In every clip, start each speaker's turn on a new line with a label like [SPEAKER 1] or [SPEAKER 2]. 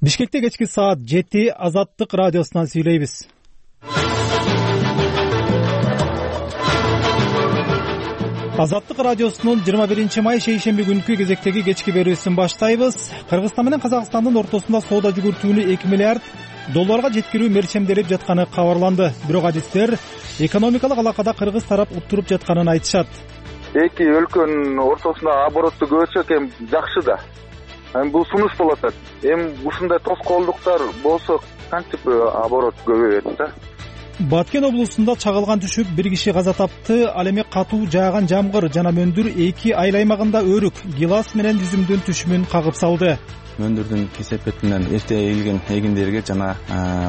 [SPEAKER 1] Бишкекте кечки саат 7 Азаттык радиосунан сүйлөйбүз. Азаттык радиосунун 21 май шейшемби күнкү кезектеги кечки берүүсүн баштайбыз. Кыргызстан менен Казакстандын ортосунда соода жүгүртүүнү 2 миллиард долларга жеткирүү мерчемделип жатканы кабарланды. Бирок адистер экономикалык алакада кыргыз тарап уттуруп жатканын айтышат.
[SPEAKER 2] Эки өлкөнүн ортосунда оборотду көбөйтсөк эми жакшы да. Эми бул сунуш болот. Эми ушундай тоскоолдуктар болсо кантип оборот көбөйөт да.
[SPEAKER 1] Баткен облусунда чагылган түшүп бир киши каза тапты. Ал эми катуу жааган жамгыр жана мөндүр эки айыл аймагында өрүк, гилас менен жүзүмдүн түшүмүн кагып салды.
[SPEAKER 3] Мөндүрдүн кесепети менен эрте эгилген эгиндерге жана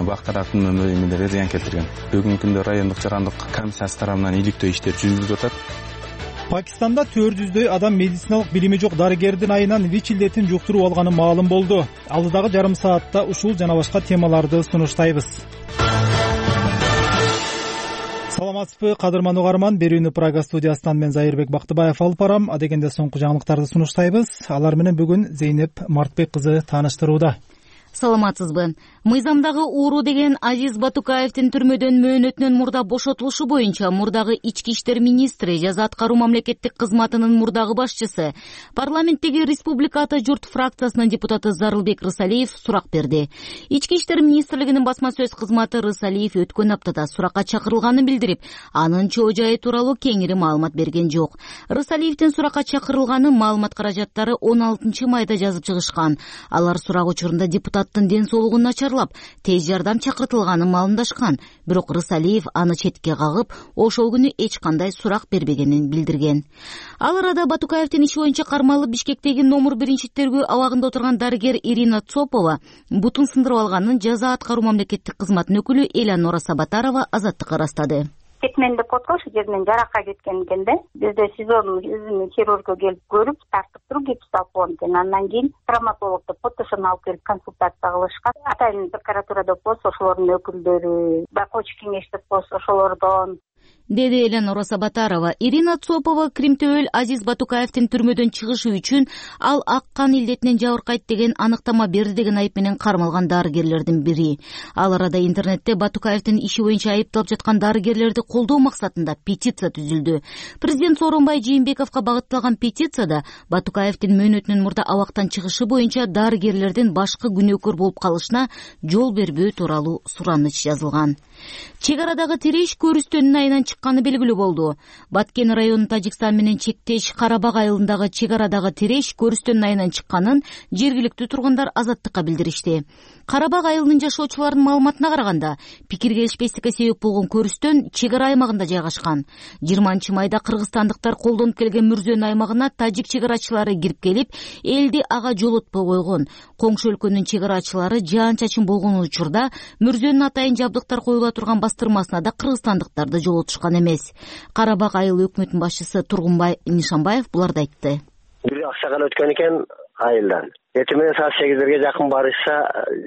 [SPEAKER 3] бак тараптын эмелерге зыян келтирген. Бүгүнкү күндө райондук жарандык комиссиясы тарабынан иликтөө иштер жүргүзүлүп атат.
[SPEAKER 1] Пакистанда 400дөй адам медициналык билими жок дарыгердин айынан ВИЧ илдетин жуктуруп алганы маалым болду. Алдыдагы жарым саатта ушул жана башка темаларды сунуштайбыз. Саламатсызбы, кадырман угарман. Берүүнү Прага студиясынан мен Зайырбек Бактыбаев алып барам. Адегенде соңку жаңылыктарды сунуштайбыз. Алар менен бүгүн Зейнеп Мартбек кызы тааныштырууда.
[SPEAKER 4] Саламатсызбы. Мыйзамдагы ууру деген Азиз Батукаевдин түрмөдөн мөөнөтүнөн мурда бошотулушу боюнча мурдагы ички иштер министри, жаза аткаруу мамлекеттик кызматынын мурдагы башчысы, парламенттеги Республика ата журт фракциясынын депутаты Зарылбек Рысалиев сурак берди. Ички иштер министрлигинин басма сөз кызматы Рысалиев өткөн аптада суракка чакырылганын билдирип, анын чоо жайы тууралуу кеңири маалымат берген жок. Рысалиевдин суракка чакырылганы маалымат каражаттары 16 майда жазып чыгышкан. Алар сурак учурунда депутаттын ден соолугун начарлап, тез жардам чакыртылганын маалымдашкан. Бирок Рысалиев аны четке кагып, ошол күнү эч кандай сурак бербегенин билдирген. Ал арада Батукаевдин иши боюнча кармалып Бишкектеги номер 1 тергөө абагында отурган дарыгер Ирина Цопова бутун сындырып алганын жаза аткаруу мамлекеттик кызматынын өкүлү Элеонора Сабатарова Азаттыкка ырастады.
[SPEAKER 5] Кетмен деп коткон ошол жеринен жаракка кеткен экен да. Бизде СИЗОнун өзүнүн хирургу келип көрүп, тартып туруп гипс алып койгон экен. Андан кийин травматологду ПТШны алып келип консультация кылышкан. Атайын прокуратура деп болсо ошолордун өкүлдөрү, байкоочу кеңеш деп болсо ошолордон,
[SPEAKER 4] деди Элеонора Сабатарова. Ирина Цопова Кримтөөл Азиз Батукаевдин түрмөдөн чыгышы үчүн ал ак кан илдетинен жабыркайт деген аныктама берди деген айып менен кармалган дарыгерлердин бири. Ал арада интернетте Батукаевдин иши боюнча айыпталып жаткан дарыгерлерди колдоо максатында петиция түзүлдү. Президент Сооронбай Жээнбековго багытталган петицияда Батукаевдин мөөнөтүнөн мурда абактан чыгышы боюнча дарыгерлердин башкы күнөөкөр болуп калышына жол бербөө тууралуу сураныч жазылган. Чек арадагы тиреш көрүстөнүн айынан чыкканы белгилүү болду. Баткен районунун Тажикстан менен чектеш Карабак айылындагы чек арадагы тиреш көрүстөнүн айынан чыкканын жергиликтүү тургундар Азаттыкка билдиришти. Карабак айылынын жашоочуларынын маалыматына караганда, пикир келишпестикке себеп болгон көрүстөн чек ара аймагында жайгашкан. 20 майда кыргызстандыктар колдонуп келген Мүрзөнүн аймагына тажик чек арачылары кирип келип, элди ага жолотпой койгон. Коңшу өлкөнүн чек арачылары жаан-чачын болгон учурда Мүрзөнүн атайын жабдыктар коюла турган бастырмасына да кыргызстандыктарды жолотушкан эмес. Карабак айыл өкмөтүнүн башчысы Тургунбай Нишанбаев буларды айтты.
[SPEAKER 6] Бир акчаган өткөн экен айылдан. Эртең менен саат 8-ге жакын барышса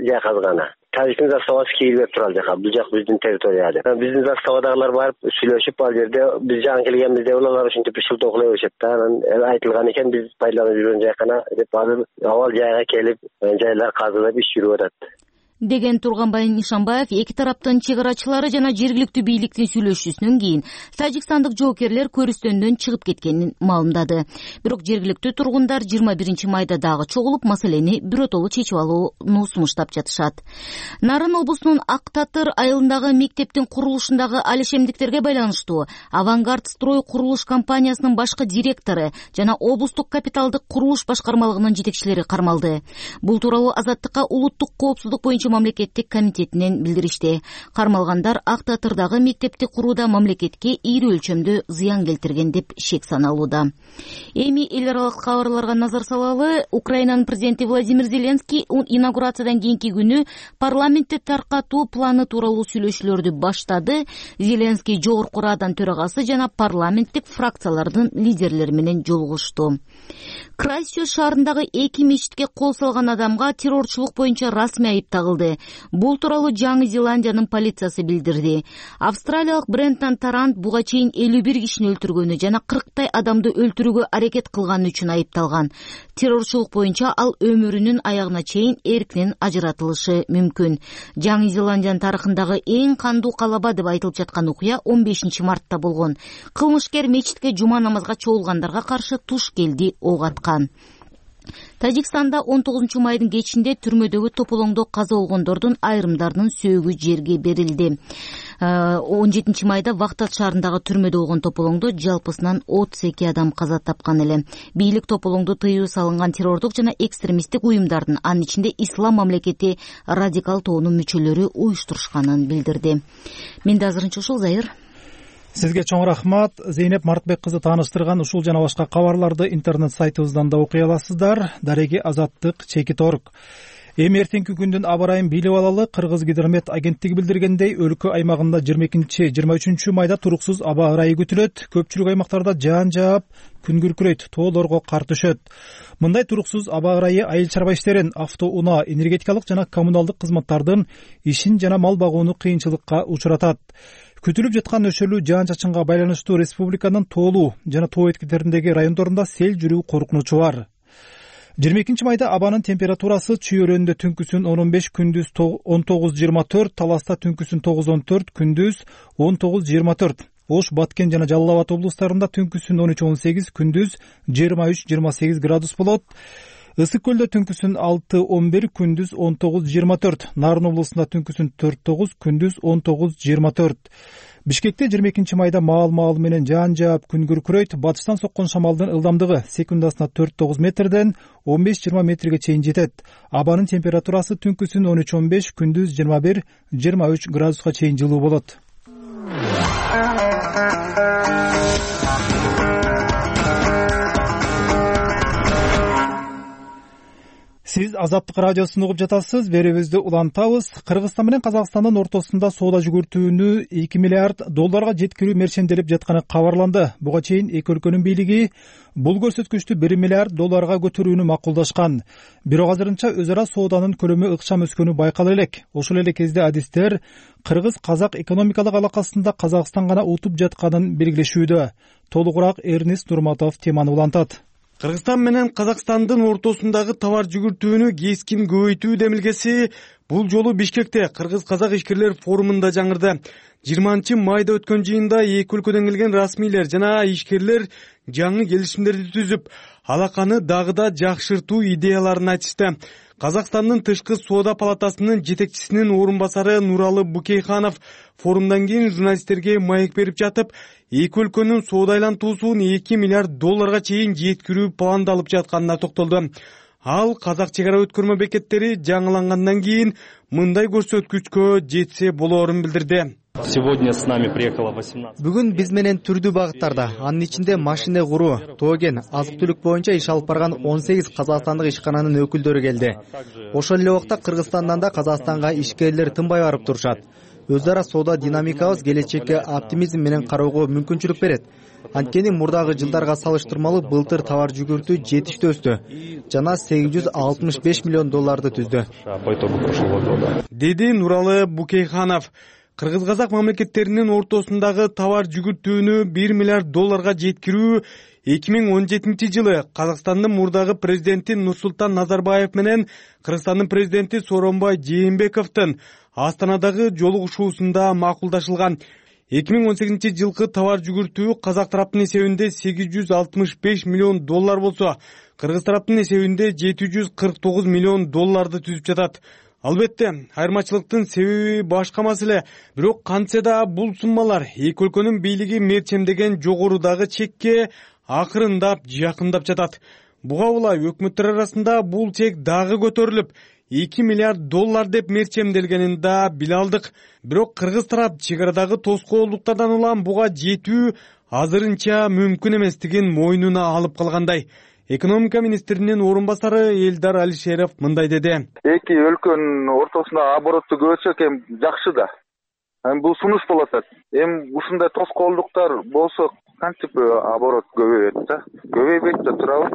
[SPEAKER 6] жай казганы. Тажиктин заставасы кийилип турат жака. Бул жак биздин территорияда. Биздин заставадагылар барып сүйлөшүп, ал жерде биз жан келгенбизде улалар ушинтип шылтоокулай беришет да. Анан айтылган экен биз пайдаланып жүргөн жайкана деп азыр абал жайга келип, жайлар казылып иш жүрүп атат
[SPEAKER 4] деген Тургунбай Нишанбаев эки тараптын чек арачылары жана жергиликтүү бийликтин сүйлөшүүсүнөн кийин тажикстандык жоокерлер көрүстөндөн чыгып кеткенин маалымдады. Бирок жергиликтүү тургундар 21 майда дагы чогулуп маселени биротолуу чечип алууну сунуштап жатышат. Нарын облусунун Ак Татыр айылындагы мектептин курулушундагы алишемдиктерге байланыштуу Авангард строй курулуш компаниясынын башкы директору жана облустук капиталдык курулуш башкармалыгынын жетекчилери кармалды. Бул тууралуу Азаттыкка улуттук коопсуздук боюнча мамлекеттик комитетинен билдиришти. Кармалгандар Ак Татырдагы мектепти курууда мамлекетке ийри өлчөмдө зыян келтирген деп шек саналууда. Эми эл аралык кабарларга назар салалы. Украинанын президенти Владимир Зеленский инаугурациядан кийинки күнү парламентти таркатуу планы тууралуу сүйлөшүүлөрдү баштады. Зеленский жогорку Радан төрагасы жана парламенттик фракциялардын лидерлери менен жолугушту. Крайстчерч шаарындагы 2 мечитке кол салган адамга террорчулук боюнча расмий айып тагылды. башталды. Бул тууралуу Жаңы Зеландиянын полициясы билдирди. Австралиялык Брентон Тарант буга чейин 51 кишини өлтүргөнү жана 40 адамды өлтүрүүгө аракет кылганы үчүн айыпталган. Террорчулук боюнча ал өмүрүнүн аягына чейин эркинен ажыратылышы мүмкүн. Жаңы Зеландиянын тарыхындагы эң кандуу калаба деп айтылып жаткан окуя 15 мартта болгон. Кылмышкер мечитке жума намазга чогулгандарга каршы туш келди ок аткан. Тажикстанда 19 майдын кечинде түрмөдөгү тополоңдо каза болгондордун айрымдарынын сөөгү жерге берилди. 17 майда Вахтат шаарындагы түрмөдө болгон тополоңдо жалпысынан 32 адам каза тапкан эле. Бийлик тополоңду тыюу салынган террордук жана экстремисттик уюмдардын, анын ичинде Ислам мамлекети радикал тобунун мүчөлөрү уюштурушканын билдирди. Менде азырынча ушул, Зайыр.
[SPEAKER 1] Сизге чоң рахмат. Зейнеп Мартбек кызы тааныштырган ушул жана башка кабарларды интернет сайтыбыздан да окуй аласыздар. Дареги Азаттык _org. Эми эртеңки күндүн аба ырайын билип алалы. Кыргыз гидромет агенттиги билдиргендей, өлкө аймагында 22-23 майда туруксуз аба ырайы күтүлөт. Көпчүлүк аймактарда жаан жаап, күн күркүрөйт, тоолорго кар түшөт. Мындай туруксуз аба ырайы айыл чарба иштерин, автоунаа, энергетикалык жана коммуналдык кызматтардын ишин жана мал багууну кыйынчылыкка учуратат. Күтүлүп жаткан нөшөлүү жаан-чачынга байланыштуу республиканын тоолуу жана тоо эткилериндеги райондорунда сел жүрүү коркунучу бар. 22 майда абанын температурасы Чүй-Өрөндө түнкүсүн 15, күндүз 19-24, Таласта түнкүсүн 9-14, күндүз 19-24. Ош, Баткен жана Жалал Абад облустарында түнкүсүн 13-18, күндүз 23-28 градус болот. Ысык көлдө түнкүсүн 6-11, күндүз 19-24. Нарын облусунда түнкүсүн 4-9, күндүз 19-24. Бишкекте 22 майда маал менен жаан жаап, күн күркүрөйт. Батыштан соккон шамалдын ылдамдыгы секундасына 4-9 метрден 15-20 метрге чейин жетет. Абанын температурасы түнкүсүн 13-15, күндүз 21-23 градуска чейин жылуу болот. Сиз Азаттык радиосун угуп жатасыз. Берүүбүздү улантабыз. Кыргызстан менен Казакстандын ортосунда соода жүгүртүүнү $2 миллиард жеткирүү мерченделип жатканы кабарланды. Буга чейин эки өлкөнүн бийлиги бул көрсөткүчтү $1 миллиард макулдашкан. Бирок азырынча өз ара сооданын көлөмү ыкчам өскөнү байкала элек. Ошол эле кезде адистер кыргыз-казак экономикалык алакасында Казакстан гана утуп жатканын белгилешүүдө. Толугураак Эрнест Нурматов теманы улантат.
[SPEAKER 7] Кыргызстан менен Казакстандын ортосундагы товар жүгүртүүнү кескин көбөйтүү демилгеси бул жолу Бишкекте Кыргыз-Казак ишкерлер форумунда жаңырды. 20 майда өткөн жыйында эки өлкөдөн келген расмийлер жана ишкерлер жаңы келишимдерди түзүп, алаканы дагы да жакшыртуу идеяларын айтышты. Казакстандын тышкы соода палатасынын жетекчисинин орун басары Нуралы Букейханов форумдан кийин журналисттерге маек берип жатып, эки өлкөнүн соода айлантуусун $2 миллиард чейин жеткирүү пландалып жатканына токтолду. Ал казак чек ара өткөрмө бекеттери жаңылангандан кийин мындай көрсөткүчкө жетсе болоорун билдирди.
[SPEAKER 8] Бүгүн биз менен түрдүү багыттарда, анын ичинде машина куруу, тоген, азык-түлүк боюнча иш алып барган 18 казакстандык ишкананын өкүлдөрү келди. Ошол эле убакта Кыргызстандан да Казакстанга ишкерлер тынбай барып турушат. Өз ара соода динамикабыз келечекке оптимизм менен кароого мүмкүнчүлүк берет. Анткени мурдагы жылдарга салыштырмалуу былтыр товар жүгүртүү жетиштүү өстү жана $865 миллион түздү,
[SPEAKER 7] деди Нуралы Букейханов. Кыргыз-казак мамлекеттеринин ортосундагы товар жүгүртүүнү $1 миллиард жеткирүү 2017 жылы Казакстандын мурдагы президенти Нурсултан Назарбаев менен Кыргызстандын президенти Сооронбай Жээнбековдун Астанадагы жолугушуусунда макулдашылган. 2018 жылкы товар жүгүртүү казак тараптын эсебинде $865 миллион болсо, кыргыз тараптын эсебинде $749 миллион түзүп жатат. Албетте, айырмачылыктын себеби башка маселе. Бирок кантсе да бул суммалар эки өлкөнүн бийлиги мерчемдеген жогорудагы чекке акырындап жакындап жатат. Буга улай өкмөттөр арасында бул чек дагы көтөрүлүп, $2 миллиард деп мерчемделгенин да биле алдык. Бирок кыргыз тарап чек арадагы тоскоолдуктардан улам буга жетүү азырынча мүмкүн эместигин мойнуна алып калгандай. Экономика министринин орун басары Элдар Алишеров мындай деди.
[SPEAKER 2] Эки өлкөнүн ортосунда оборотту көбөйтсөк эми жакшы да. Бул сунуш болот. Эми ушундай тоскоолдуктар болсо кантип оборот көбөйөт да. Көбөйбөйт да турабы.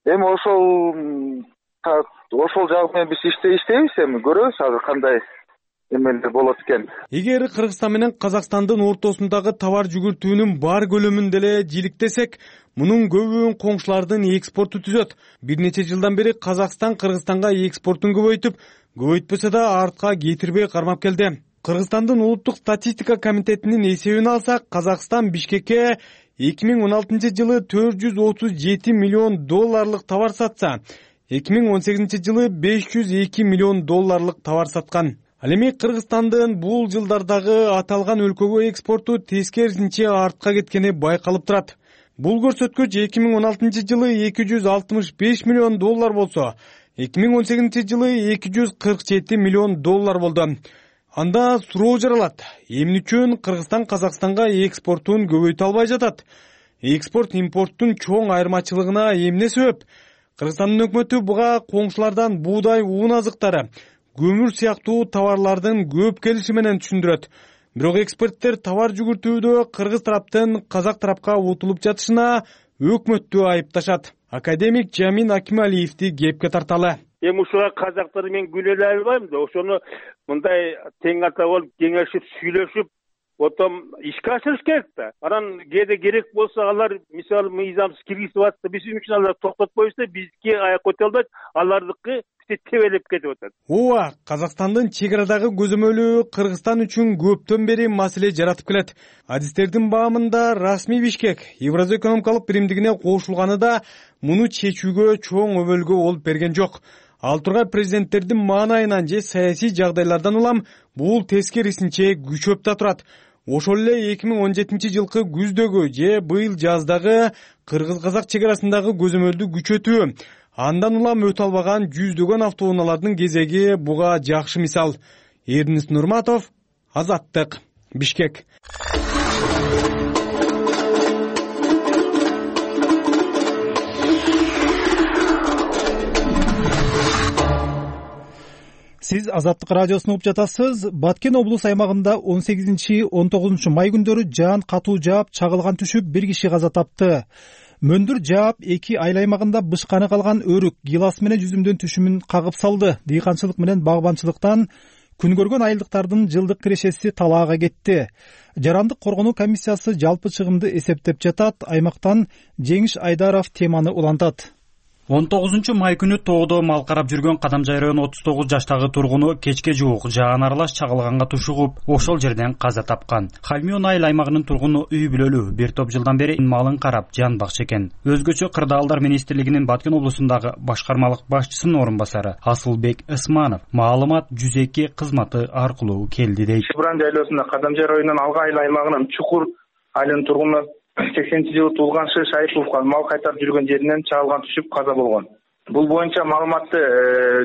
[SPEAKER 2] Эми ошол ошол жагы менен биз иштейбиз, эми көрөбүз азыр кандай эмелер болот экен.
[SPEAKER 7] Эгер Кыргызстан менен Казакстандын ортосундагы товар жүгүртүүнүн бар көлөмүн деле жийликтесек, мунун көбүн коңшулардын экспорту түзөт. Бир нече жылдан бери Казакстан Кыргызстанга экспортун көбөйтпөсө да артка кетирбей кармап келди. Кыргызстандын улуттук статистика комитетинин эсебин алсак, Казакстан Бишкекке 2016 жылы 437 миллион долларлык товар сатса, 2018 жылы 502 миллион долларлык товар саткан. Ал эми Кыргызстандын бул жылдардагы аталган өлкөгө экспорту тескерисинче артка кеткени байкалып турат. Бул көрсөткүч 2016 жылы 265 миллион доллар болсо, 2018 жылы 247 миллион доллар болду. Анда суроо жаралат: эмне үчүн Кыргызстан Казакстанга экспортун көбөйтө албай жатат? Экспорт импорттун чоң айырмачылыгына эмне себеп? Кыргызстандын өкмөтү буга коңшулардан буудай, уун азыктары, көмүр сыяктуу товарлардын көп келиши менен түшүндүрөт. Бирок эксперттер товар жүгүртүүдө кыргыз тараптын казак тарапка утулуп жатышына өкмөттү айыпташат. Академик Жамин Акималиевди кепке тарталы.
[SPEAKER 9] Эми ушуга казактар мен күлө эле албайм да, ошону мындай тең ата болуп кеңешип, сүйлөшүп, потом ишке ашырыш керек да. Анан кээде керек болсо алар мисалы мыйзамсыз киргизип атса, биз үчүн алар токтотпойбузда, бизге аяк көтөрө албайт, алардыкы тебелеп кетип атат.
[SPEAKER 7] Ооба, Казакстандын чек арадагы көзөмөлү Кыргызстан үчүн көптөн бери маселе жаратып келет. Адистердин баамында расмий Бишкек Евразия экономикалык биримдигине кошулганы да муну чечүүгө чоң өбөлгө болуп берген жок. Ал тургай президенттердин маанайынан же саясий жагдайлардан улам бул тескерисинче күчөп да турат. Ошол эле 2017 жылкы күздөгү же быйыл жаздагы кыргыз-казак чек арасындагы көзөмөлдү күчөтүү, андан улам өтө албаган жүздөгөн автоунаалардын кезеги буга жакшы мисал. Эрнис Нурматов, Азаттык, Бишкек.
[SPEAKER 1] Сиз Азаттык радиосун угуп жатасыз. Баткен облус аймагында 18-19 май күндөрү жаан катуу жаап, чагылган түшүп, бир киши каза тапты. Мөндүр жаап, эки айыл аймагында бышканы калган өрүк гилас менен жүзүмдөн түшүмүн кагып салды. Дыйканчылык менен багбанчылыктан күн көргөн айылдыктардын жылдык кирешеси талаага кетти. Жарандык коргонуу комиссиясы жалпы чыгымды эсептеп жатат. Аймактан Жеңиш Айдаров теманы улантат.
[SPEAKER 10] 19 май күнү тоодо мал карап жүргөн Кадамжай району 39 жаштагы тургуну кечке жуук жаан аралаш чагылганга тушугуп, ошол жерден каза тапкан. Хальмион айыл аймагынын тургуну үй бүлөлүү, бир топ жылдан бери малын карап жанбакчы экен. Өзгөчө Кырдаалдар министрлигинин Баткен облусундагы башкармалык башчысынын орун басары Асылбек Ысманов маалымат 102 кызматы аркылуу келди дейт.
[SPEAKER 11] Шыбран жайлоосунда Кадамжай районунун Алга айыл аймагынын Чукур айылынын тургуну 80-жылы туулган Шыш Айыповго мал кайтарып жүргөн жеринен чагылган түшүп каза болгон. Бул боюнча маалыматты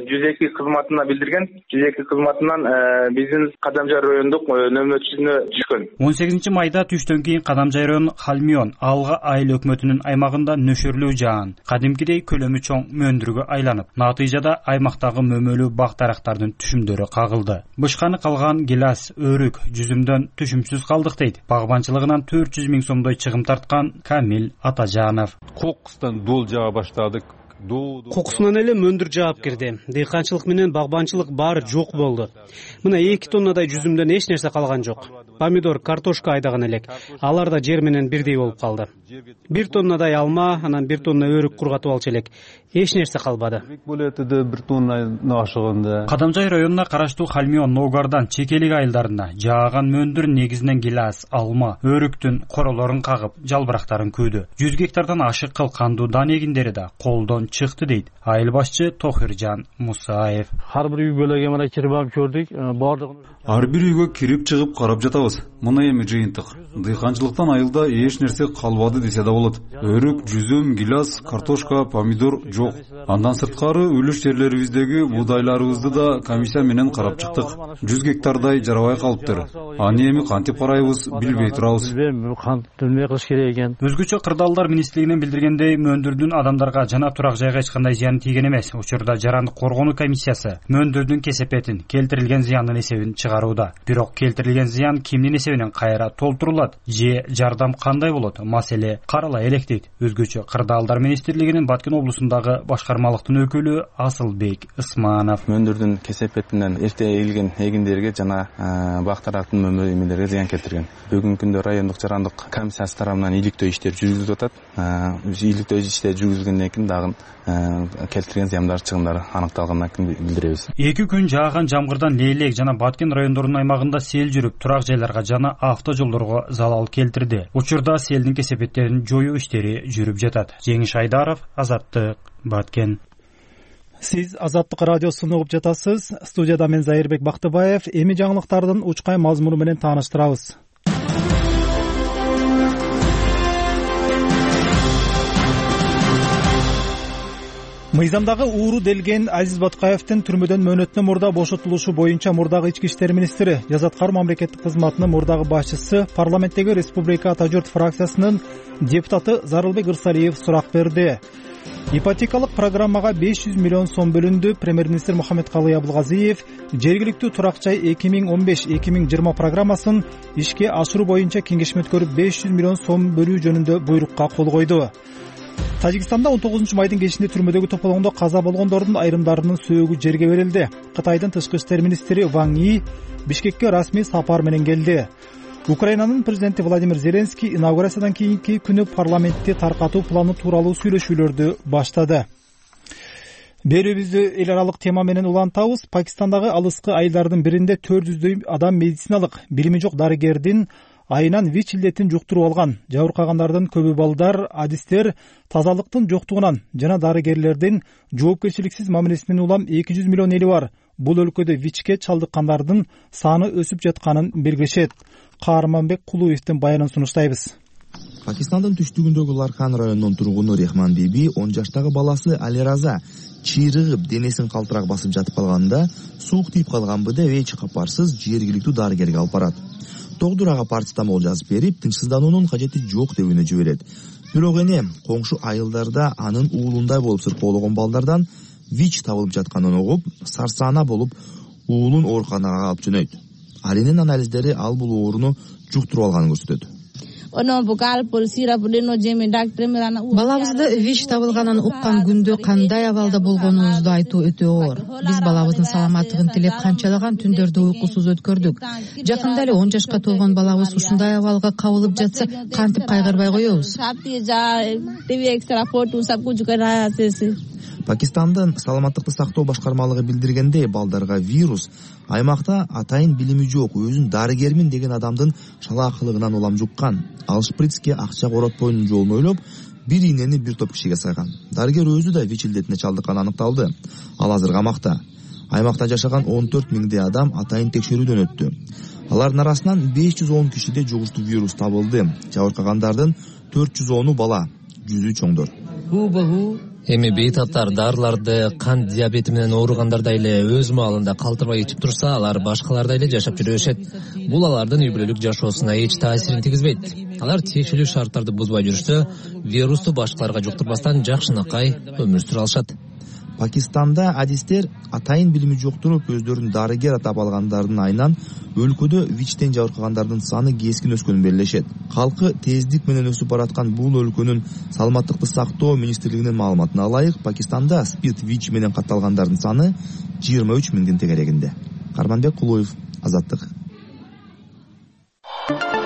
[SPEAKER 11] 102 кызматына билдирген. 102 кызматынан биздин Кадамжай райондук нөмөрчүсүнө түшкөн.
[SPEAKER 10] 18 майда түштөн кийин Кадамжай району Хальмион Алга айыл өкмөтүнүн аймагында нөшөрлүү жаан кадимкидей көлөмү чоң мөндүргө айланып, натыйжада аймактагы мөмөлүү бак-дарактардын түшүмдөрү кагылды. Бышканы калган гилас, өрүк, жүзүмдөн түшүмсүз калдык дейт. Багбанчылыгынан 400 000 сомдой чыгым тарткан Камил Атажанов.
[SPEAKER 12] Кокустан дол жаа баштадык.
[SPEAKER 13] Кокусунан эле мөндүр жаап кирди. Дыйканчылык менен багбанчылык баары жок болду. Мына 2 тоннадай жүзүмдөн эч нерсе калган жок. Помидор, картошка айдаган элек. Алар да жер менен бирдей болуп калды. 1 тоннадай алма, анан 1 тонна өрүк кургатып алчу элек. Эч нерсе калбады.
[SPEAKER 12] 1 тонна ашыгында.
[SPEAKER 10] Кадамжай районуна караштуу Хальмион, Ногардан, Чекелик айылдарында жааган мөндүр негизинен гилас, алма, өрүктүн королорун кагып, жалбырактарын күйдү. 100 гектардан ашык кылкандуу дан эгиндери да колдон чыкты дейт айыл башчы Тохиржан Мусаев.
[SPEAKER 14] Ар бир үй бүлөгө мына кирип алып көрдүк.
[SPEAKER 15] Ар бир үйгө кирип чыгып карап жатабыз. Мына эми жыйынтык. Дыйканчылыктан айылда эч нерсе калбады десе да болот. Өрүк, жүзүм, гилас, картошка, помидор жок. Андан сырткары үлүш жерлерибиздеги буудайларыбызды да комиссия менен карап чыктык. 100 гектардай жарабай калыптыр. Аны эми кантип карайбыз билбей турабыз.
[SPEAKER 14] Билбей кылыш керек экен.
[SPEAKER 10] Өзгөчө Кырдаалдар министрлигинен билдиргендей, мөндүрдүн адамдарга жана турак жайга эч кандай зыяны тийген эмес. Учурда жарандык коргонуу комиссиясы мөндүрдүн кесепетин, келтирилген зыяндын эсебин чыгарууда. Бирок келтирилген зыян кимдин эсебинен менен кайра толтурулат же жардам кандай болот, маселе карала элек дейт Өзгөчө кырдаалдар министрлигинин Баткен облусундагы башкармалыктын өкүлү Асылбек Ысманов.
[SPEAKER 3] Мөндүрдүн кесепетинен эрте эгилген эгиндерге жана бак тараптын мөмөлөймелерге зыян келтирген. Бүгүнкү күндө райондук жарандык комиссиясы тарабынан иликтөө иштер жүргүзүлүп атат. Иликтөө иштер жүргүзүлгөндөн кийин дагы келтирген зыяндар чыгымдары аныкталгандан кийин билдиребиз.
[SPEAKER 10] 2 күн жааган жамгырдан Лейлек жана Баткен райондорунун аймагында сел жүрүп, турак жайларга жана автожолдорго залал келтирди. Учурда селдин кесепеттерин жоюу иштери жүрүп жатат. Жеңиш Айдаров, Азаттык, Баткен.
[SPEAKER 1] Сиз Азаттык радиосун угуп жатасыз. Студияда мен Зайырбек Бактыбаев. Эми жаңылыктардын учкай мазмуну менен тааныштырабыз. Мыйзамдагы ууру делген Азиз Батукаевдин түрмөдөн мөөнөтүнөн мурда бошотулушу боюнча мурдагы ички иштер министри, жазаткар мамлекеттик кызматынын мурдагы башчысы, парламенттеги Республика Ата журт фракциясынын депутаты Зарылбек Ырсалиев сурак берди. Ипотекалык программага 500 миллион сом бөлүндү. Премьер-министр Мухаммедкалый Абылгазиев жергиликтүү турак жай 2015-2020 программасын ишке ашыруу боюнча кеңешме өткөрүп 500 миллион сом бөлүү жөнүндө буйрукка кол койду. Тажикстанда 19 майдын кечинде түрмөдөгү тополоңдо каза болгондордун айрымдарынын сөөгү жерге берилди. Кытайдын тышкы иштер министри Ван И Бишкекке расмий сапар менен келди. Украинанын президенти Владимир Зеленский инаугурациядан кийинки күнү парламентти таркатуу планы тууралуу сүйлөшүүлөрдү баштады. Берүүбүздү эл аралык тема менен улантабыз. Пакистандагы алыскы айылдардын биринде 400дөй адам медициналык билими жок дарыгердин айынан ВИЧ илдетин жуктуруп алган. Жабыркагандардын көбү балдар, адистер тазалыктын жоктугунан жана дарыгерлердин жоопкерчиликсиз мамилесинен улам 200 миллион эли бар. Бул өлкөдө ВИЧке чалдыккандардын саны өсүп жатканын белгилешет. Каарманбек Кулуевдин баянын сунуштайбыз.
[SPEAKER 16] Пакистандын түштүгүндөгү Лархан районунун тургуну Рехман Биби 10 жаштагы баласы Алираза чыйрыгып денесин калтырак басып жатып калганда суук тийип калганбы деп эч капарсыз жергиликтүү дарыгерге алып барат. Доктор ага парацетамол жазып берип, тынчсыздануунун кажети жок деп үнө жиберет. Бирок эне коңшу айылдарда анын уулундай болуп сыркоологон балдардан ВИЧ табылып жатканын угуп, сарсаана болуп уулун ооруканага алып жөнөйт. Ал эненин анализдери ал бул ооруну жуктуруп алганын көрсөтөт.
[SPEAKER 17] Балабызды ВИЧ табылганын уккан күндө кандай абалда болгонубузду айтуу өтө оор. Биз балабыздын саламаттыгын тилеп канчалаган түндөрдү уйкусуз өткөрдүк. Жакында эле 10 жашка толгон балабыз ушундай абалга кабылып жатса, кантип кайгырбай коебуз?
[SPEAKER 16] Пакистандын саламаттыкты сактоо башкармалыгы билдиргендей, балдарга вирус аймакта атайын билими жок, өзүн дарыгермин деген адамдын шалаакылыгынан улам жуккан. Ал шприцке акча коротпойнун жолун ойлоп, бир ийнени бир топ кишиге сайган. Дарыгер өзү да ВИЧ илдетине чалдыкканы аныкталды. Ал азыр камакта. Аймакта жашаган 14 миңдей адам атайын текшерүүдөн өттү. Алардын арасынан 510 кишиде жугуштуу вирус табылды. Жабыркагандардын 410-у бала, 100-ü чоңдор.
[SPEAKER 18] Эми бейтаптар дарыларды кант диабети менен ооругандардай эле өз маалында калтырбай ичип турса, алар башкалардай эле жашап жүрө беришет. Бул алардын үй бүлөлүк жашоосуна эч таасирин тийгизбейт. Алар тиешелүү шарттарды бузбай жүрүшсө, вирусту башкаларга жуктурбастан жакшынакай өмүр сүрө алышат.
[SPEAKER 16] Пакистанда адистер атайын билими жоктуруп, өздөрүн дарыгер атап алгандардын айынан өлкөдө ВИЧтен жабыркагандардын саны кескин өскөнүн белгилешет. Калкы тездик менен өсүп бараткан бул өлкөнүн саламаттыкты сактоо министрлигинин маалыматына ылайык, Пакистанда СПИД ВИЧ менен катталгандардын саны 23 миңдин тегерегинде. Карманбек Кулуев, Азаттык.